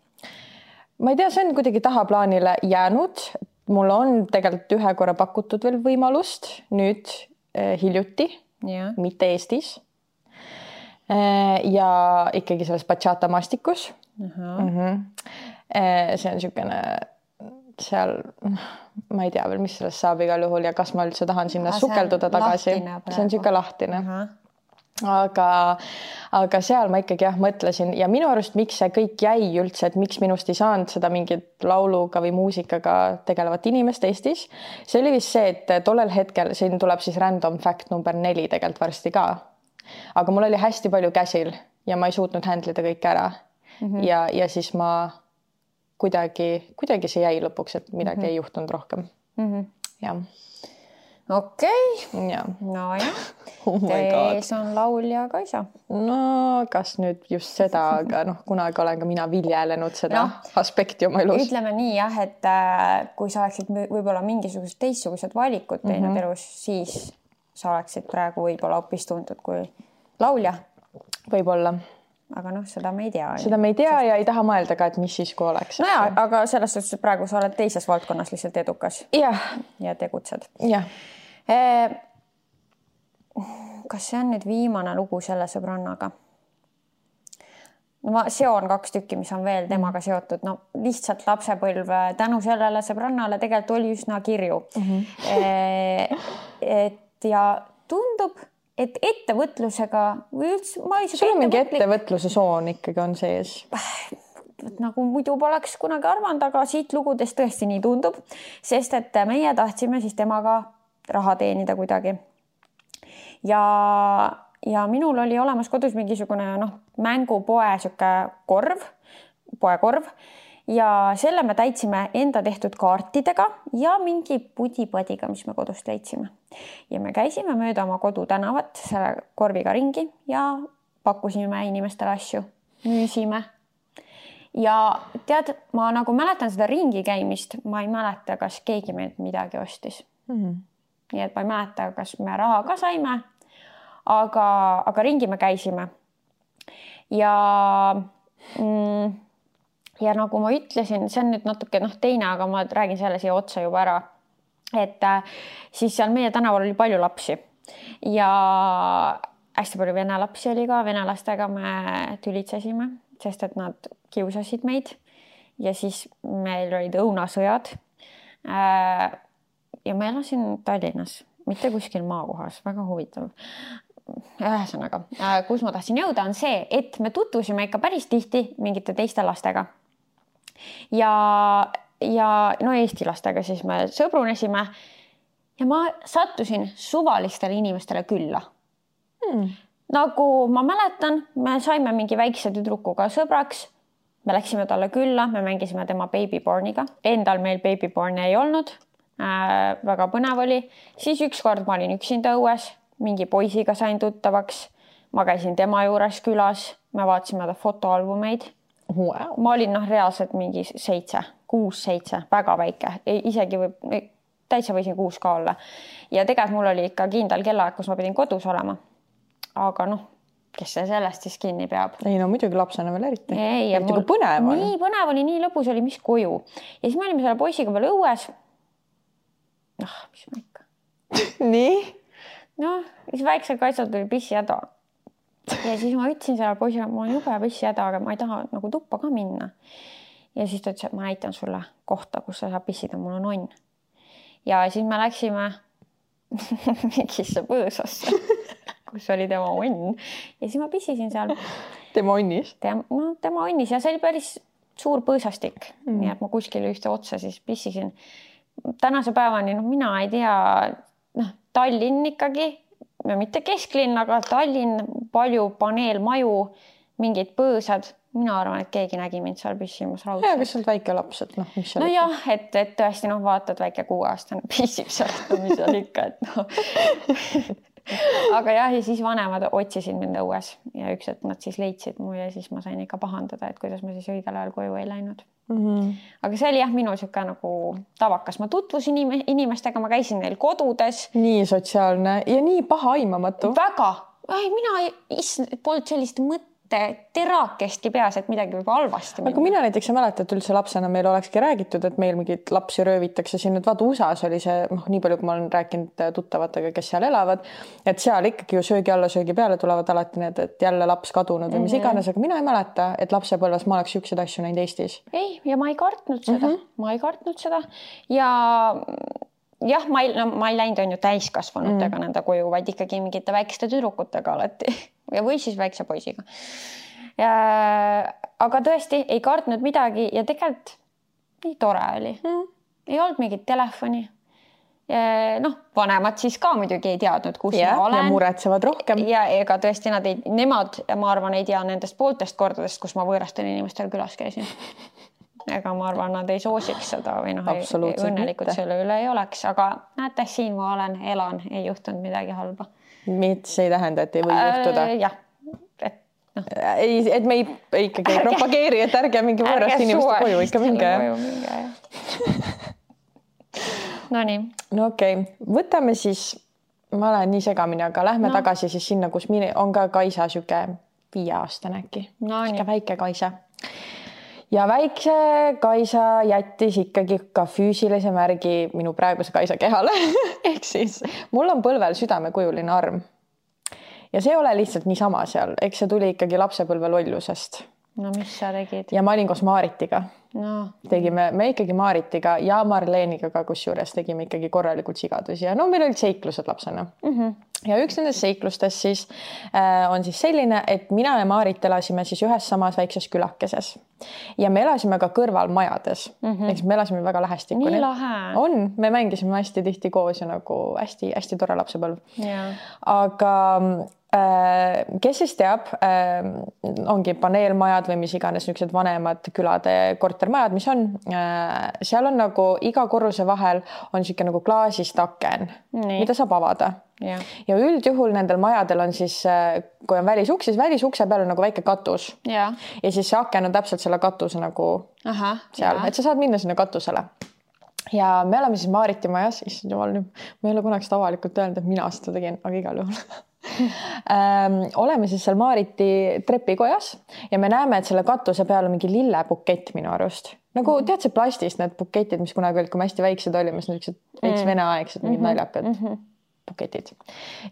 Ma ei tea, see on kuidagi tahaplaanile jäänud. Mul on tegelikult ühe korra pakutud veel võimalust nüüd eh, hiljuti. Ja. Mitte Eestis ja ikkagi selles bachata maastikus. Uh-huh. Mm-hmm. See on siukene seal, ma ei tea veel, mis sellest saab igal juhul ja kas ma üldse tahan sinna Aha, sukelduda tagasi. See on siuke lahtine. Uh-huh. Aga, aga seal ma ikkagi jah mõtlesin ja minu arust miks see kõik jäi üldse, et miks minust ei saanud seda mingit lauluga või muusikaga tegelevat inimest Eestis. See oli vist see, et tollel hetkel, siin tuleb siis random fact number neli tegelikult varsti ka. Aga mul oli hästi palju käsil ja ma ei suutnud handlida kõik ära. Mm-hmm. Ja, ja siis ma kuidagi, kuidagi see jäi lõpuks, et midagi mm-hmm. ei juhtunud rohkem. Mm-hmm. Ja. Okei, okay. No jah, oh tees on laulja Kaisa. No kas nüüd just seda, aga noh, kunagi olen ka mina viljelenud seda no, aspekti oma elus. Ütleme nii jah, et kui sa oleksid võib-olla mingisugused teistsugused valikud teinud mm-hmm. elus, siis sa oleksid praegu võib-olla hoopis tuntud kui laulja. Võib-olla. Aga noh, seda me ei tea. Seda me ei tea ja ei taha mõelda ka, et mis siis kui oleks. No ja, aga selles suhtes, et praegu sa oled teises valdkonnas lihtsalt edukas. Ja, ja tegutsed. Ja. Kas see on nüüd viimane lugu selle sõbrannaga? No ma seon kaks tükki, mis on veel temaga seotud. No lihtsalt lapsepõlv tänu sellele sõbrannale tegelikult oli üsna kirju. Mm-hmm. Et ja tundub, et ettevõtlusega või üldse... Ma ei sul on mingi ettevõtluse soon ikkagi on sees? Nagu muidu poleks kunagi arvanud, aga siit lugudest tõesti nii tundub, sest et meie tahtsime siis temaga raha teenida kuidagi. Ja, ja minul oli olemas kodus mingisugune noh, mängupoe siuke korv, poekorv ja selle me täitsime enda tehtud kaartidega ja mingi pudipadiga, mis me kodust leidsime. Ja me käisime mööda oma kodu tänavat selle korviga ringi ja pakkusime inimestele asju, müüsime. Ja tead, ma nagu mäletan seda ringi käimist, ma ei mäleta, kas keegi meilt midagi ostis. Mm-hmm. Nii et ma ei mäleta, kas me raha ka saime, aga, aga ringi me käisime. Ja mm, ja nagu ma ütlesin, see on nüüd natuke noh, teine, aga ma räägin selle siia otsa juba ära, et siis seal meie tänaval oli palju lapsi ja hästi palju vene lapsi oli ka, vene lastega me tülitsesime, sest et nad kiusasid meid ja siis meil olid õunasõjad ja ma elasin Tallinnas, mitte kuskil maakohas, väga huvitav. Ühesõnaga, kus ma tahtsin jõuda, on see, et me tutvusime ikka päris tihti mingite teiste lastega. Ja, ja no Eesti lastega siis me sõbrunesime ja ma sattusin suvalistele inimestele külla. Hmm. Nagu ma mäletan, me saime mingi väikse tüdrukuga sõbraks, me läksime talle külla, me mängisime tema babyborniga. Endal meil babyborni ei olnud, äh, väga põnev oli. Siis ükskord ma olin üksinda õues, mingi poisiga sain tuttavaks. Ma käisin tema juures külas, me vaatasime ta fotoalbumeid. Wow. Ma olin noh, reaalselt mingi seitse, kuus, seitse, väga väike. Isegi võib, täitsa võisin kuus ka olla. Ja tegelikult mul oli ikka kindel kellaaeg, kus ma pidin kodus olema. Aga noh, kes see sellest siis kinni peab? Ei no muidugi lapsena veel eriti. Ei, eriti mul... kui põnev on. Nii põnev oli, nii lõbus oli, mis koju. Ja siis me olime selle poisiga veel õues. Ah, mis ma ikka. Nii? No, siis väiksel kaitsel tuli pissihäda. Ja siis ma ütlesin selle poisile, ma olen jube pissihäda, aga ma ei taha nagu tuppa ka minna. Ja siis ta ütles, et ma näitan sulle kohta, kus sa saab pissida, mul on onn. Ja siis me läksime mingisse põõsasse, kus oli tema onn. Ja siis ma pissisin seal. Tema onnis? Tem, no, tema onnis ja see oli päris suur põõsastik. Mm. Nii et ma kuskil ühte otsa siis pissisin. Tänase päevani, no mina ei tea, noh, Tallinn ikkagi, mitte kesklinn, aga Tallinn, palju paneelmaju, mingid põõsad. Mina arvan, et keegi nägi mind seal pissimas raudselt. Ja, kas sa oled väike laps, et noh, mis seal no ikka? Jah, et, et tõesti noh, vaatad väike kuueaastane pissib seal, mis seal ikka, et noh. Aga jah, ja siis vanemad otsisid mind õues ja üks, et nad siis leidsid mu ja siis ma sain ikka pahandada, et kuidas ma siis õigel ajal koju ei läinud. Mm-hmm. Aga see oli jah, minu siuke nagu tavakas. Ma tutvusin inimestega, ma käisin neil kodudes. Nii sotsiaalne ja nii paha aimamatu. Väga. Ai, mina ei, polnud sellist mõtte terakestki peas, et midagi võib halvasti. Aga mina näiteks ei mäleta, et üldse lapsena meil olekski räägitud, et meil mingid lapsi röövitakse siin. Et vaata U S A-s oli see, noh, nii palju, kui ma olen rääkinud tuttavatega, kes seal elavad, et seal ikkagi ju söögi alla, söögi peale tulevad alati need, et jälle laps kadunud või mis mm-hmm. iganes, aga mina ei mäleta, et lapsepõlves ma oleks siukseid asju näinud Eestis. Ei, ja ma ei kartnud seda. Mm-hmm. Ma ei kartnud seda. Ja jah, ma ei, no, ma ei läinud on ju täiskasvanutega mm. nende koju, vaid ikkagi mingite väikeste tüdrukutega alati. Ja või siis väikse poisiga. Ja, aga tõesti ei kartnud midagi ja tegelikult nii tore oli. Mm. Ei olnud mingit telefoni. Ja, noh, vanemad siis ka muidugi ei teadnud, kus ja, ma olen. Ja muretsevad rohkem. Ja ega tõesti nad ei, nemad, ma arvan, ei tea nendest pooltest kordadest, kus ma võõrastel inimestel külas käisin. Ega ma arvan, nad ei soosiks seda või noh, õnnelikult selle üle ei oleks, aga näete, siin ma olen, elan, ei juhtunud midagi halba. Mis ei tähenda, et ei või juhtuda? Äh, jah, et no. Ei, et me ei, ikkagi ei propageeri, et ärge mingi võõrast inimeste koju ikka minge. No nii. No okei, okay. Võtame siis, ma olen nii segamini, aga lähme no. tagasi siis sinna, kus mine, on ka Kaisa süke viie aastane äkki. No nii. Väike Kaisa. Ja väikse Kaisa jättis ikkagi ka füüsilise märgi minu praeguse Kaisa kehale. Ehk siis mul on põlvel südamekujuline arm. Ja see ei ole lihtsalt niisama seal. Eks see tuli ikkagi lapsepõlve lollusest. No mis sa tegid? Ja ma olin koos Maaritiga. No. Tegime, me ikkagi Maaritiga ja Marleeniga ka kusjuures tegime ikkagi korralikult sigadusi. Ja no meil olid seiklused lapsena. Mm-hmm. Ja üks nendest seiklustest siis äh, on siis selline, et mina ja Maarit elasime siis ühes samas väikses külakeses. Ja me elasime ka kõrval majades. Mm-hmm. Eks me elasime väga lähestikku. Nii lahe. On, me mängisime hästi tihti koos ja nagu hästi, hästi tore lapsepõlv. Yeah. Aga kes siis teab, ongi paneelmajad või mis iganes niisugused vanemad külade kortermajad, mis on, seal on nagu iga korruse vahel on niisugune nagu klaasist aken, Nii. mida saab avada. Ja. ja üldjuhul nendel majadel on siis, kui on välisuks, siis välisukse peal on nagu väike katus. Ja, ja siis see aken on täpselt selle katuse nagu Aha, seal, ja. et sa saad minna sinna katusele. ja me oleme siis Maariti majas, issand jumal, ma ei ole kunagi seda avalikult öelnud, et mina seda tegin, aga igal juhul ähm, oleme siis seal Maariti trepikojas ja me näeme, et selle katuse peal on mingi lillebukett minu arust. Nagu tead see plastist need buketid, mis kunagi olid, kui me hästi väiksed olime, siis niisugused veits veneaegsed mingid mm-hmm. naljakad mm-hmm. buketid.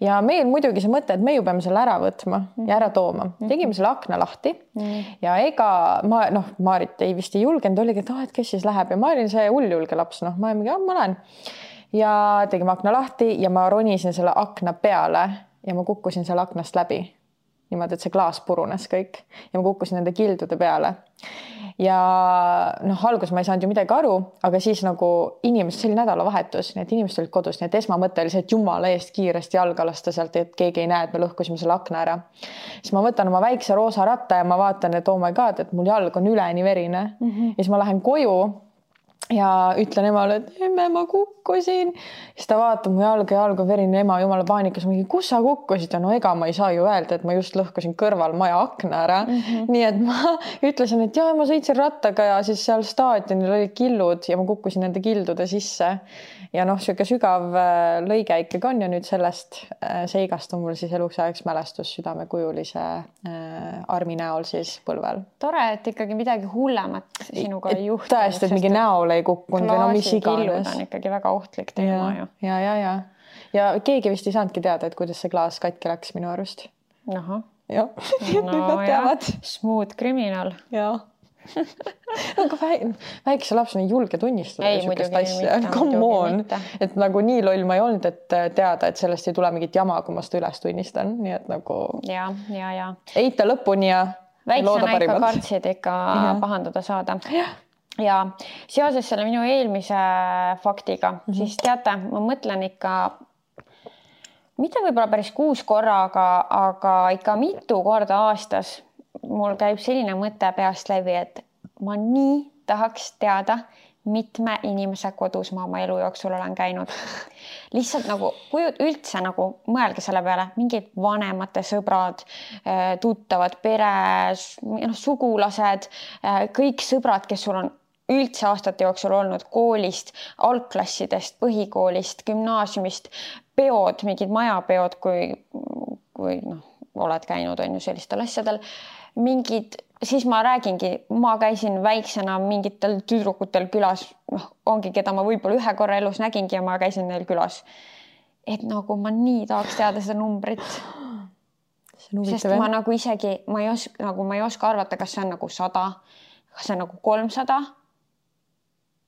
Ja meil muidugi see mõte, et me ju peame selle ära võtma ja ära tooma. Tegime selle akna lahti ja ega ma, noh, Maarit ei vist ei julgenud, oligi, et, oh, et kes siis läheb ja ma olin see hulljulge laps, noh, ma mingi, ma lähen. Ja tegime akna lahti ja ma ronisin selle akna peale ja ma kukkusin selle aknast läbi. Niimoodi, et see klaas purunes kõik ja ma kukkusin nende kildude peale. Ja noh, algus ma ei saanud ju midagi aru, aga siis nagu inimesed, see oli nädalavahetus, nii et inimesed olid kodus, nii et esmamõte oli see, et jumala eest kiiresti jalga lasta sealt, et keegi ei näe, et me lõhkusime selle akna ära. Siis ma võtan oma väikse roosa ratta ja ma vaatan, et oh my god, et mul jalg on üleni verine. Mm-hmm. Ja siis ma lähen koju ja ütlen emale, et emme, ma kukkusin. Siis ta vaatab mu jalga ja jalg on verine, ema jumala paanikas, mingi, kus sa kukkusid? Ja no ega ma ei saa ju öelda, et ma just lõhkusin kõrval maja akna ära. Mm-hmm. Nii et ma ütlesin, et jah, ma sõitsin rattaga ja siis seal staadionil olid killud ja ma kukkusin nende kildude sisse. Ja noh, siuke sügav lõige ikkagi on ja nüüd sellest seigast on mul siis eluks ajaks mälestus südamekujulise armi näol siis põlvel. Tore, et ikkagi midagi hullemat sinuga ei juhtunud. Tõesti, et mingi näol ei kukkunud või no mis iganes. On ikkagi väga ohtlik teema ja, ju. Ja, ja, ja. Ja keegi vist ei saanudki teada, et kuidas see klaas katki läks minu arust. Aha. Ja, no, ja. Smooth criminal. Ja. Aga väikse lapsena ei julge tunnistada ei, sükest asja. Come on. Et nagu nii loll ma ei olnud, et teada, et sellest ei tule mingit jama, kui ma seda üles tunnistan. Nii et nagu ja, ja, ja. Eita lõpuni ja väiksena ikka kartsid ikka ja. Pahandada saada. Ja. Ja seoses selle minu eelmise faktiga, mm-hmm. siis teate, ma mõtlen ikka mitte võib-olla päris kuus korra, aga, aga ikka mitu korda aastas mul käib selline mõte peast läbi, et ma nii tahaks teada, mitme inimese kodus ma oma elu jooksul olen käinud. Lihtsalt nagu, kui üldse nagu mõelge selle peale, mingid vanemate sõbrad, tuttavad, pere, no, sugulased, kõik sõbrad, kes sul on üldse aastate jooksul olnud koolist, algklassidest, põhikoolist, gümnaasiumist, peod, mingid majapeod, kui, kui noh, oled käinud on ju sellistel asjadel, mingid, siis ma räägingi, ma käisin väiksena mingitel tüdrukutel külas, noh, ongi, keda ma võib-olla ühe korra elus nägingi ja ma käisin neil külas. Et nagu ma nii tahaks teada seda numbrit. Sest ma nagu isegi, ma ei oska, nagu ma ei oska arvata, kas see on nagu sada, kas see on nagu kolmsada,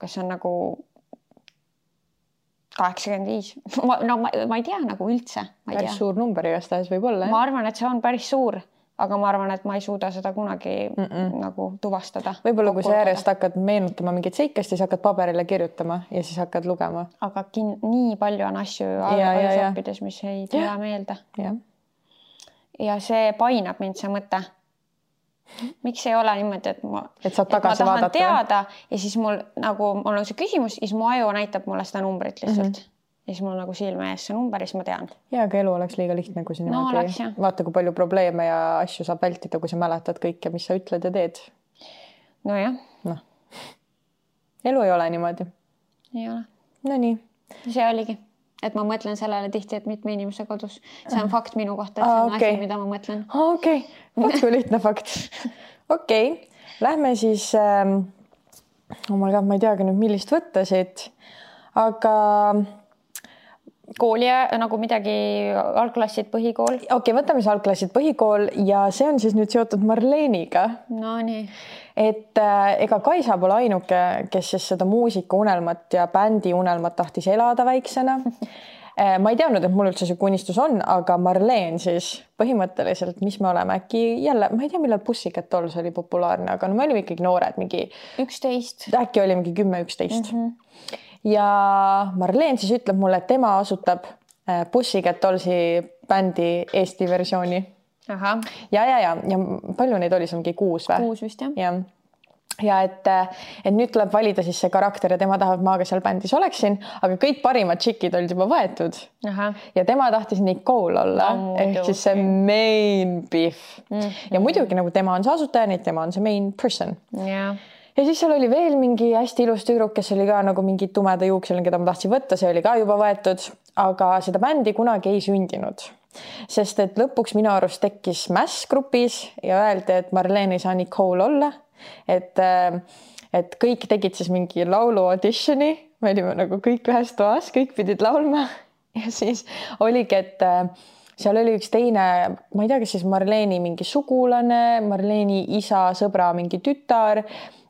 kas see on nagu kaheksakümmend viis. Ma, no ma, ma ei tea nagu üldse. Ma ei päris tea. Suur number igastahes võib olla. Ma arvan, et see on päris suur. Aga ma arvan, et ma ei suuda seda kunagi Mm-mm. nagu tuvastada. Võib-olla kui sa järjest hakkad meenutama mingit seikast, siis hakkad paberile kirjutama ja siis hakkad lugema. Aga kin- nii palju on asju ajasoppides, mis ei tule ja. Meelde. Ja. ja see painab mind see mõte. Miks ei ole niimoodi, et ma, et saad tagasi et ma tahan vaadata. Teada ja siis mul, nagu, mul on see küsimus, siis mu aju näitab mulle seda numbrit lihtsalt. Mm-hmm. Ja siis mul nagu silme ees see number, siis ma tean. Ja, aga elu oleks liiga lihtne, kui sa no, niimoodi oleks, vaata, kui palju probleeme ja asju saab vältida, kui sa mäletad kõike, mis sa ütled ja teed. No jah. No. Elu ei ole niimoodi. Ei ole. No nii. See oligi, et ma mõtlen sellele tihti, et mitme inimese kodus. See on fakt minu kohta, et see on okay. asi, mida ma mõtlen. Okei, okay. Vaat kui lihtne fakt. Okei, okay. Lähme siis, ähm, oh my God, ma ei teagi nüüd, millist võtta siit, aga kooli nagu midagi algklassid, põhikool. Okei, okay, võtame siis algklassid, põhikool ja see on siis nüüd seotud Marleeniga. No nii. Et äh, ega Kaisa pole ainuke, kes siis seda muusika unelmat ja bändi unelmat tahtis elada väiksena. Ma ei teadnud, et mul üldse see unistus on, aga Marleen siis põhimõtteliselt, mis me oleme äkki jälle, ma ei tea, millal Pussycat Dolls oli populaarne, aga no me olime ikkagi noored, mingi üksteist. Äkki oli mingi kümme üksteist. Mm-hmm. Ja Marleen siis ütleb mulle, et tema asutab Pussycat Dollsi bändi Eesti versiooni. Aha. Ja, ja, ja, ja palju neid oli, see mingi kuus või? Kuus vist, jah. Ja. Ja et, et nüüd tuleb valida siis see karakter ja tema tahab, maaga seal bändis oleksin, aga kõik parimad tšikid olid juba võetud. Aha. Ja tema tahtis Nicole olla, no, ehk siis see main beef. Mm-hmm. Ja muidugi nagu tema on see asutaja, nii tema on see main person. Yeah. ja siis seal oli veel mingi hästi ilus tüdruk, kes oli ka nagu mingi tumeda juukseline, keda ma tahtsin võtta, see oli ka juba võetud, aga seda bändi kunagi ei sündinud. Sest et lõpuks minu arust tekkis mäss grupis ja öeldi, et Marleen ei saa Nicole olla, et, et kõik tegid siis mingi laulu auditioni, me olime nagu kõik ühes toas, kõik pidid laulma ja siis oligi, et seal oli üks teine, ma ei tea, kas siis Marleeni mingi sugulane, Marleeni isa, sõbra, mingi tütar,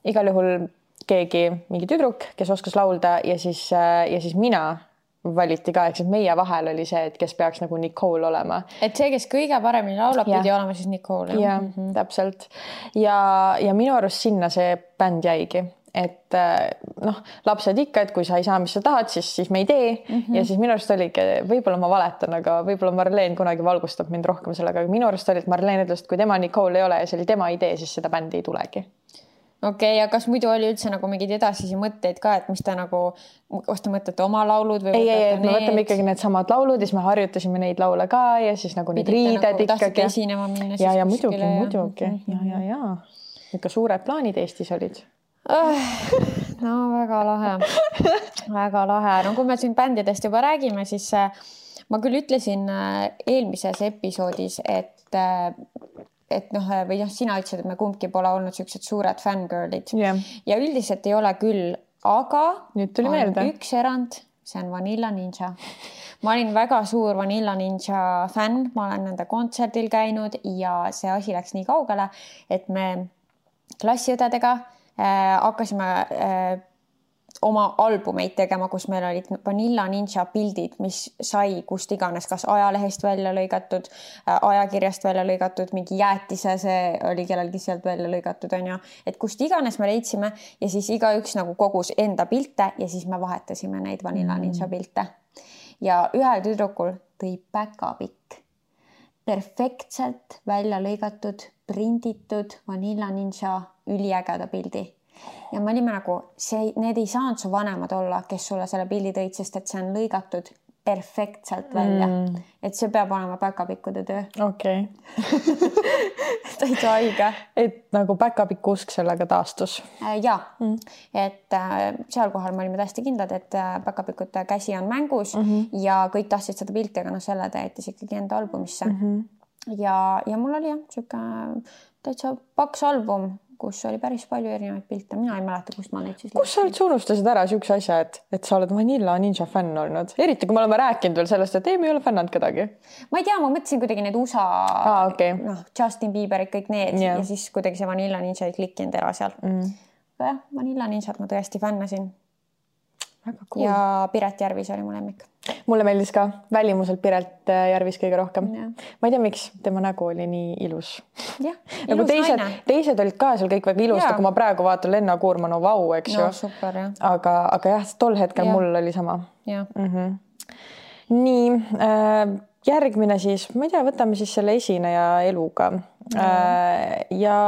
igal juhul keegi, mingi tüdruk, kes oskas laulda ja siis, ja siis mina valiti ka, eks meie vahel oli see, et kes peaks nagu Nicole olema. Et see, kes kõige paremini laulab, pidi olema siis Nicole. Jah, mm -hmm. täpselt. Ja, ja minu arust sinna see bänd jäigi. Et noh, lapsed ikka, et kui sa ei saa, mis sa tahad, siis, siis me ei tee. Mm -hmm. Ja siis minu arust oligi, võib-olla ma valetan, aga võib-olla Marleen kunagi valgustab mind rohkem sellega. Aga minu arust oli, et Marleen ütles, et kui tema Nicole ei ole ja see oli tema idee, siis seda bändi ei tulegi. Okei, okay, ja kas muidu oli üldse nagu mingid edasisi mõtteid ka, et mis ta nagu, kas te mõtlete oma laulud või ei, ei, et me võtame ikkagi need samad laulud ja siis me harjutasime neid laule ka ja siis nagu need riided nagu, ikkagi. Esinema minna ja, ja muidugi, muidugi. Ja, ja, ja. Ikka suured plaanid Eestis olid. No väga lahe, väga lahe. No kui me siin bändidest juba räägime, siis ma küll ütlesin eelmises episoodis, et et noh, või noh, sina ütlesid, et me kumbki pole olnud sellised suured fangirlid yeah. ja üldiselt ei ole küll, aga nüüd tuli meelde üks erand, see on Vanilla Ninja. Ma olin väga suur Vanilla Ninja fänn, ma olen nende kontserdil käinud ja see asi läks nii kaugele, et me klassiõdedega äh, hakkasime äh, oma albumeid tegema, kus meil olid Vanilla Ninja pildid, mis sai kust iganes, kas ajalehest välja lõigatud, ajakirjast välja lõigatud, mingi jäätise, see oli kellelgi sealt välja lõigatud, on ju. Et kust iganes me leidsime ja siis igaüks nagu kogus enda pilte ja siis me vahetasime neid Vanilla Ninja pilte. Ja ühel tüdrukul tõi päkapikk, perfektselt välja lõigatud, prinditud Vanilla Ninja üliägeda pildi. Ja me olime nagu, see, need ei saanud su vanemad olla, kes sulle selle pildi tõid, sest et see on lõigatud perfektselt välja. Mm. Et see peab olema päkapikkude töö. Okei. Okay. Täitsa haige. Et nagu päkapikku usk sellega taastus. Ja, mm. et seal kohal me olime täiesti kindlad, et päkapikute käsi on mängus mm -hmm. ja kõik tahtsid seda pilti, aga no selle ta jättis ikkagi enda albumisse. Mm -hmm. ja, ja mul oli jah, siuke täitsa paks album, kus oli päris palju erinevaid pilte. Mina ei mäleta, kust ma neid siis... Kus sa üldse unustasid ära siukse asja, et, et sa oled Vanilla Ninja fänn olnud? Eriti, kui me oleme rääkinud veel sellest, et ei, me ei ole fännanud kedagi. Ma ei tea, ma mõtlesin kuidagi need U S A, ah, okay. noh, Justin Bieberid, kõik need yeah. ja siis kuidagi see Vanilla Ninja ei klikkinud ära seal. Mm. Aga jah, Vanilla Ninjat ma tõesti fännasin. Väga cool. Ja Piret Järvis oli mu lemmik. Mulle meeldis ka välimuselt Piret Järvis kõige rohkem. Ja. Ma ei tea, miks tema nägu oli nii ilus. Jah, nagu ilus teised, naine. Teised olid ka seal kõik väga ilus, kui ma praegu vaatan Lenna Kuurma, no vau, eks no, ju. Super, jah. Aga, aga jah, tol hetkel ja. Mul oli sama. Ja. Mm-hmm. Nii, äh, järgmine siis, ma ei tea, võtame siis selle esineja eluga. Mm. Äh, ja...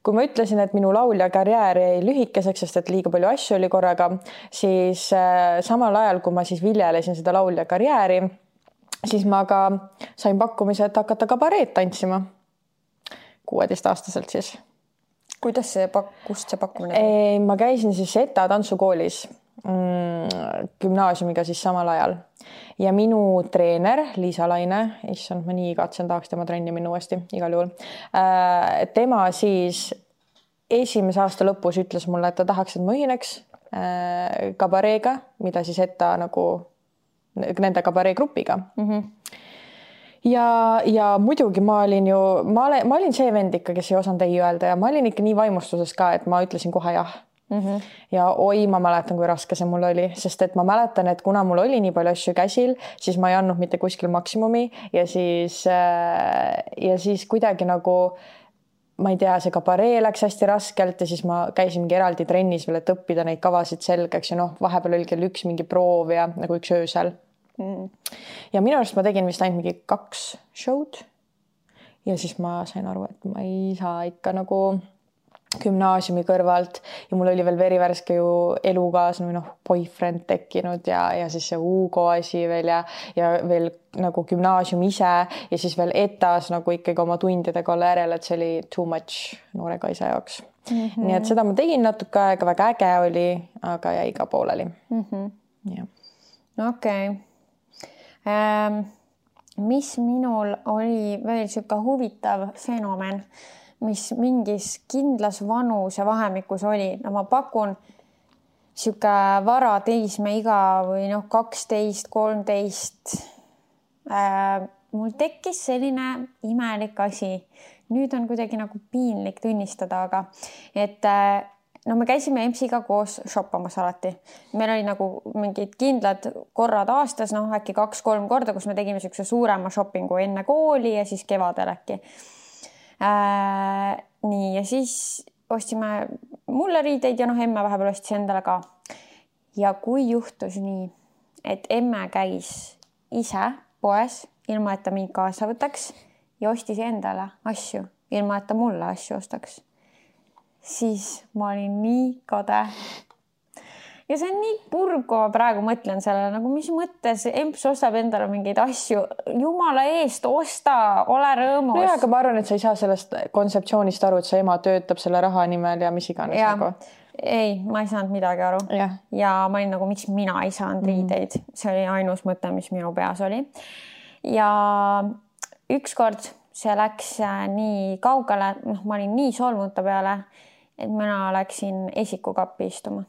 Kui ma ütlesin, et minu laulja karjäär jäi lühikeseks, sest et liiga palju asju oli korraga, siis äh, samal ajal, kui ma siis viljelesin seda laulja karjääri, siis ma ka sain pakkumise, et hakata kabareed tantsima. kuueteistaastaselt siis. Kuidas see, kust see pakkumine? Ei, ma käisin siis Eta tantsukoolis mm, gümnaasiumiga siis samal ajal. Ja minu treener Liisa Laine, issand, ma nii igatsen, tahaks tema trenni minna uuesti igal juhul. Tema siis esimese aasta lõpus ütles mulle, et ta tahaks, et ma ühineks kabareega, mida siis Eta nagu nende kabaree grupiga. Mm-hmm. Ja, ja muidugi ma olin ju, ma olin, ma olin see vend ikka, kes ei osanud ei öelda ja ma olin ikka nii vaimustuses ka, et ma ütlesin kohe jah. Mm-hmm. Ja oi, ma mäletan, kui raske see mul oli, sest et ma mäletan, et kuna mul oli nii palju asju käsil, siis ma ei andnud mitte kuskil maksimumi ja siis, ja siis kuidagi nagu, ma ei tea, see kabaree läks hästi raskelt ja siis ma käisin mingi eraldi trennis veel, et õppida neid kavasid selgeks ja noh, vahepeal oli kell üks mingi proov ja nagu üks öösel. Mm. Ja minu arust ma tegin vist ainult mingi kaks show'd ja siis ma sain aru, et ma ei saa ikka nagu gümnaasiumi kõrvalt ja mul oli veel verivärske ju elukaaslane või noh, boyfriend tekkinud ja, ja siis see Hugo asi veel ja, ja veel nagu gümnaasium ise ja siis veel etas nagu ikkagi oma tundidega olla järel, et see oli too much noore kaisa jaoks. Mm -hmm. Nii et seda ma tegin natuke aega, väga äge oli, aga jäi ka pooleli. Mm -hmm. Ja. Okei. Okay. Ähm, mis minul oli veel siuke huvitav fenomen, mis mingis kindlas vanuse vahemikus oli. No ma pakun siuke vara teismeiga või noh, kaksteist, kolmteist. Äh, mul tekkis selline imelik asi. Nüüd on kuidagi nagu piinlik tunnistada, aga et no me käisime Emsiga koos shoppamas alati. Meil oli nagu mingid kindlad korrad aastas, noh äkki kaks-kolm korda, kus me tegime siukse suurema shoppingu enne kooli ja siis kevadel äkki. Äh, nii ja siis ostsime mulle riideid ja noh, emme vahepeal ostis endale ka. Ja kui juhtus nii, et emme käis ise poes, ilma et ta mind kaasa võtaks ja ostis endale asju, ilma et ta mulle asju ostaks, siis ma olin nii kade. Ja see on nii purg, kui ma praegu mõtlen sellele, nagu mis mõttes emps ostab endale mingeid asju. Jumala eest, osta, ole rõõmus. No jah, aga ma arvan, et sa ei saa sellest kontseptsioonist aru, et sa ema töötab selle raha nimel ja mis iganes. Ja. Nagu. Ei, ma ei saanud midagi aru. Ja, ja ma olin nagu, miks mina ei saanud riideid. See oli ainus mõte, mis minu peas oli. Ja ükskord see läks nii kaugele, noh, ma olin nii solmunud ta peale, et mina läksin esikukappi istuma.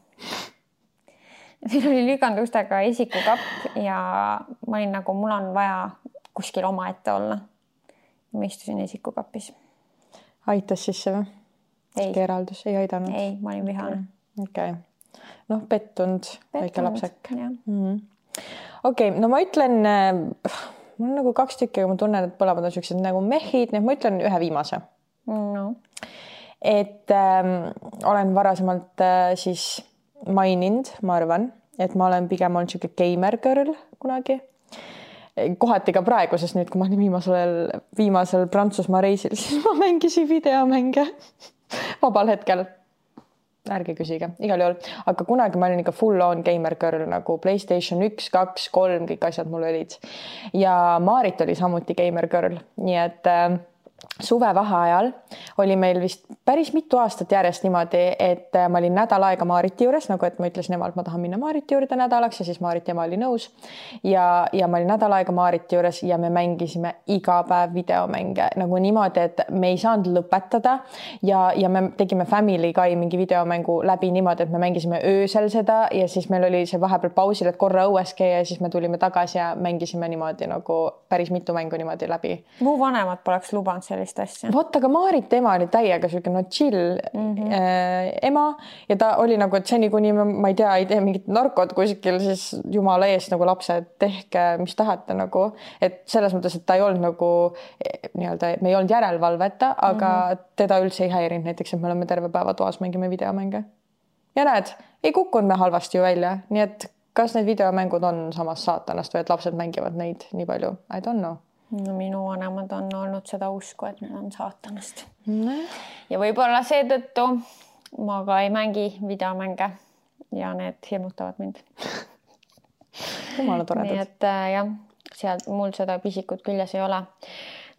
Meil oli lükanud ustega esikukapp ja ma olin nagu, mul on vaja kuskil oma ette olla. Ma istusin esikukappis. Aitas sisse või? Ei. Keeraldus ei aidanud? Ei, ma olin vihane. Okei. Okay. Noh, pettunud, väike lapsek. Mm-hmm. Okei, okay, no ma ütlen, mul on nagu kaks tükki, aga ma tunnen, et põlemad on sellised nagu mehid, nii et ma ütlen ühe viimase. No. Et ähm, olen varasemalt äh, siis maininud, ma arvan, et ma olen pigem olnud siuke gamer girl kunagi. Kohati ka praegu, sest nüüd, kui ma olin viimasel, viimasel Prantsusmaa reisil, siis ma mängisin videomänge vabal hetkel. Ärge küsige, igal juhul. Aga kunagi ma olin ikka full on gamer girl, nagu PlayStation üks, kaks, kolm, kõik asjad mul olid. Ja Maarit oli samuti gamer girl, nii et äh, suve vaheajal oli meil vist päris mitu aastat järjest niimoodi, et ma olin nädal aega Maariti juures, nagu et ma ütlesin emalt, ma tahan minna Maariti juurde nädalaks ja siis Maariti ema oli nõus. Ja, ja ma olin nädal aega Maariti juures ja me mängisime iga päev videomänge nagu niimoodi, et me ei saanud lõpetada ja, ja me tegime Family Guy mingi videomängu läbi niimoodi, et me mängisime öösel seda ja siis meil oli see vahepeal pausil, et korra õueski ja siis me tulime tagasi ja mängisime niimoodi nagu päris mitu mängu niimoodi läbi. Mu vanemad poleks lubanud sellist asja. Vot, aga Maarit ema oli täiega siuke no chill mm -hmm. äh, ema ja ta oli nagu, et seni kuni ma, ma ei tea, ei tee mingit narkot kuskil, siis jumala eest nagu lapsed, tehke mis tahate nagu, et selles mõttes, et ta ei olnud nagu nii-öelda, me ei olnud järelevalveta, aga mm -hmm. teda üldse ei häirinud näiteks, et me oleme terve päeva toas mängime videomänge. Ja näed, ei kukkunud me halvasti ju välja, nii et kas need videomängud on samas saatanast või et lapsed mängivad neid nii palju? I don't know. No minu vanemad on olnud seda usku, et need on saatanast. Mm. Ja võib-olla seetõttu ma ka ei mängi videomänge ja need hirmutavad mind. Jumala toredad. Nii et jah, seal mul seda pisikut küljes ei ole.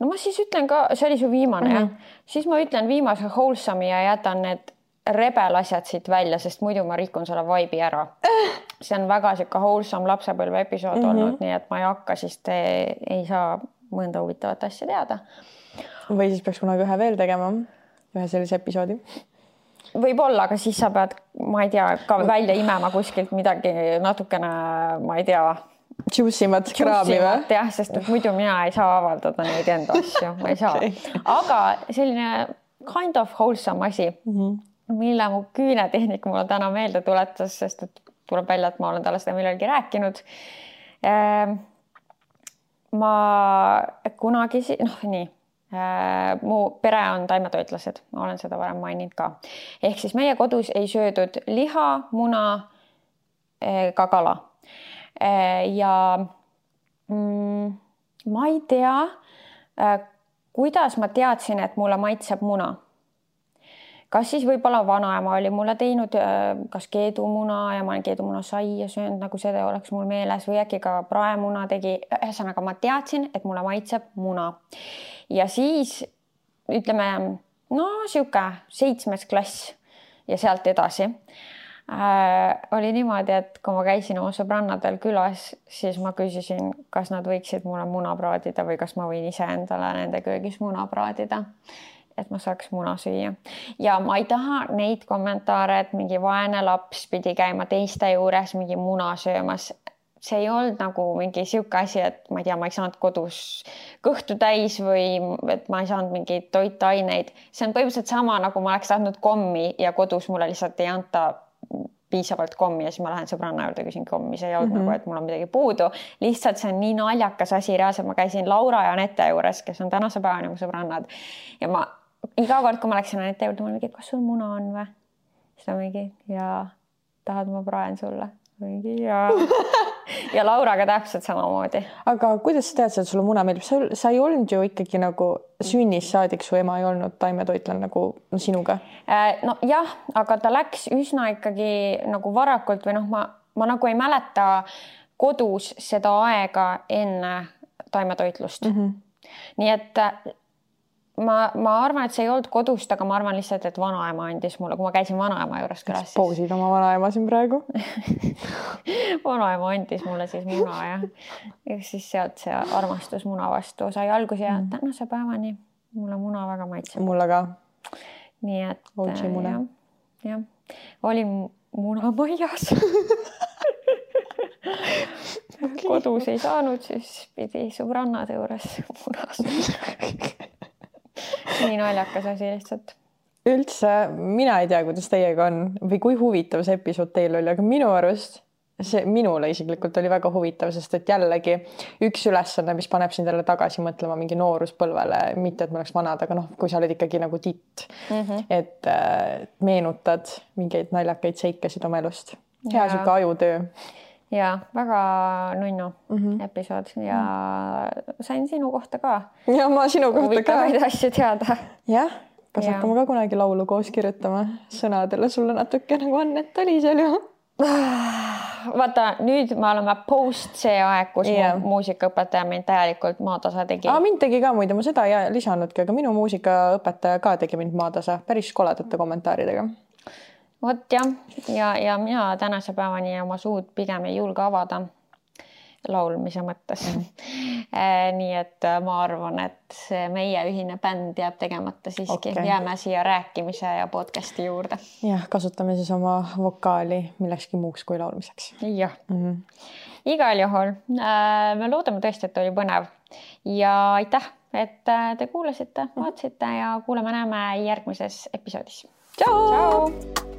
No ma siis ütlen ka, see oli su viimane, mm -hmm. jah. Siis ma ütlen viimase wholesome'i ja jätan need rebel asjad siit välja, sest muidu ma rikun selle vibe'i ära. See on väga siuke wholesome lapsepõlve episood mm -hmm. olnud, nii et ma ei hakka, siis te ei saa mõnda huvitavat asja teada. Või siis peaks kunagi ühe veel tegema, ühe sellise episoodi. Võib-olla, aga siis sa pead, ma ei tea, ka välja imema kuskilt midagi natukene, ma ei tea, juicimat kraami või? Jah, sest et muidu mina ei saa avaldada neid enda asju, ma ei saa. Okay. Aga selline kind of wholesome asi, mm -hmm. mille mu küünetehnik mulle täna meelde tuletas, sest et tuleb välja, et ma olen talle seda millalgi rääkinud. Ma kunagi, noh nii, mu pere on taimetoitlased, ma olen seda varem maininud ka. Ehk siis meie kodus ei söödud liha, muna, ka kala. Ja mm, ma ei tea, kuidas ma teadsin, et mulle maitseb muna. kas siis võib-olla vanaema oli mulle teinud kas keedumuna ja ma olen keedumuna saia söönud, nagu seda oleks mul meeles või äkki ka praemuna tegi. Ühesõnaga ma teadsin, et mulle maitseb muna. Ja siis ütleme, no siuke seitsmes klass ja sealt edasi. Äh, oli niimoodi, et kui ma käisin oma sõbrannadel külas, siis ma küsisin, kas nad võiksid mulle muna praadida või kas ma võin ise endale nende köögis muna praadida, et ma saaks muna süüa. Ja ma ei taha neid kommentaare, et mingi vaene laps pidi käima teiste juures mingi muna söömas. See ei olnud nagu mingi siuke asi, et ma ei tea, ma ei saanud kodus kõhtu täis või et ma ei saanud mingeid toitaineid. See on põhimõtteliselt sama, nagu ma oleks tahtnud kommi ja kodus mulle lihtsalt ei anta piisavalt kommi ja siis ma lähen sõbranna juurde, küsin kommi, see ei olnud mm -hmm. nagu, et mul on midagi puudu. Lihtsalt see on nii naljakas asi, reaalselt ma käisin Laura ja Anette juures, kes on tänase päeva nagu sõbrannad. Ja ma iga kord, kui ma läksin Anette juurde, ma mingi, kas sul muna on või? Siis ta mingi, ja tahad ma praen sulle? Mingi, ja... ja Lauraga täpselt samamoodi. Aga kuidas sa tead, et sulle muna meeldib? Sa, sa ei olnud ju ikkagi nagu sünnis saadik, su ema ei olnud taimetoitlan nagu no, sinuga? No jah, aga ta läks üsna ikkagi nagu varakult või noh, ma, ma nagu ei mäleta kodus seda aega enne taimetoitlust. Mm -hmm. Nii et ma, ma arvan, et see ei olnud kodust, aga ma arvan lihtsalt, et vanaema andis mulle, kui ma käisin vanaema juures külas. Siis poosid oma vanaema siin praegu. Vanaema andis mulle siis muna ja, ja siis sealt see armastus muna vastu sai alguse ja mm. tänase päevani mulle muna väga maitseb. Mulle ka. Nii et jah, jah, oli muna maias. Okay. Kodus ei saanud, siis pidi sõbrannade juures munas. Nii naljakas asi lihtsalt. Üldse, mina ei tea, kuidas teiega on või kui huvitav see episood teil oli, aga minu arust see minule isiklikult oli väga huvitav, sest et jällegi üks ülesanne, mis paneb sind jälle tagasi mõtlema mingi nooruspõlvele, mitte et me oleks vanad, aga noh, kui sa oled ikkagi nagu titt, mm -hmm. et äh, meenutad mingeid naljakaid seikasid oma elust. Hea siuke ajutöö. Ja väga nunnu mm -hmm. episood ja mm. sain sinu kohta ka. Ja ma sinu kohta huvitavaid ka. Asju teada. Jah, kas ja. hakkame ka kunagi laulu koos kirjutama sõnadele sulle natuke nagu Annet oli seal ju. Vaata, nüüd me oleme post see aeg, kus yeah. mu muusikaõpetaja mind täielikult maatasa tegi. Aa, mind tegi ka muide, ma seda ei lisanudki, aga minu muusikaõpetaja ka tegi mind maatasa päris koledate kommentaaridega. Vot jah, ja, ja mina tänase päevani oma suud pigem ei julge avada laulmise mõttes. Mm. Nii et ma arvan, et see meie ühine bänd jääb tegemata siiski. Okay. Jääme siia rääkimise ja podcasti juurde. Jah, kasutame siis oma vokaali millekski muuks kui laulmiseks. Jah. Mm -hmm. Igal juhul me loodame tõesti, et oli põnev. Ja aitäh, et te kuulasite, vaatasite ja kuuleme näeme järgmises episoodis. Tšau! Tšau!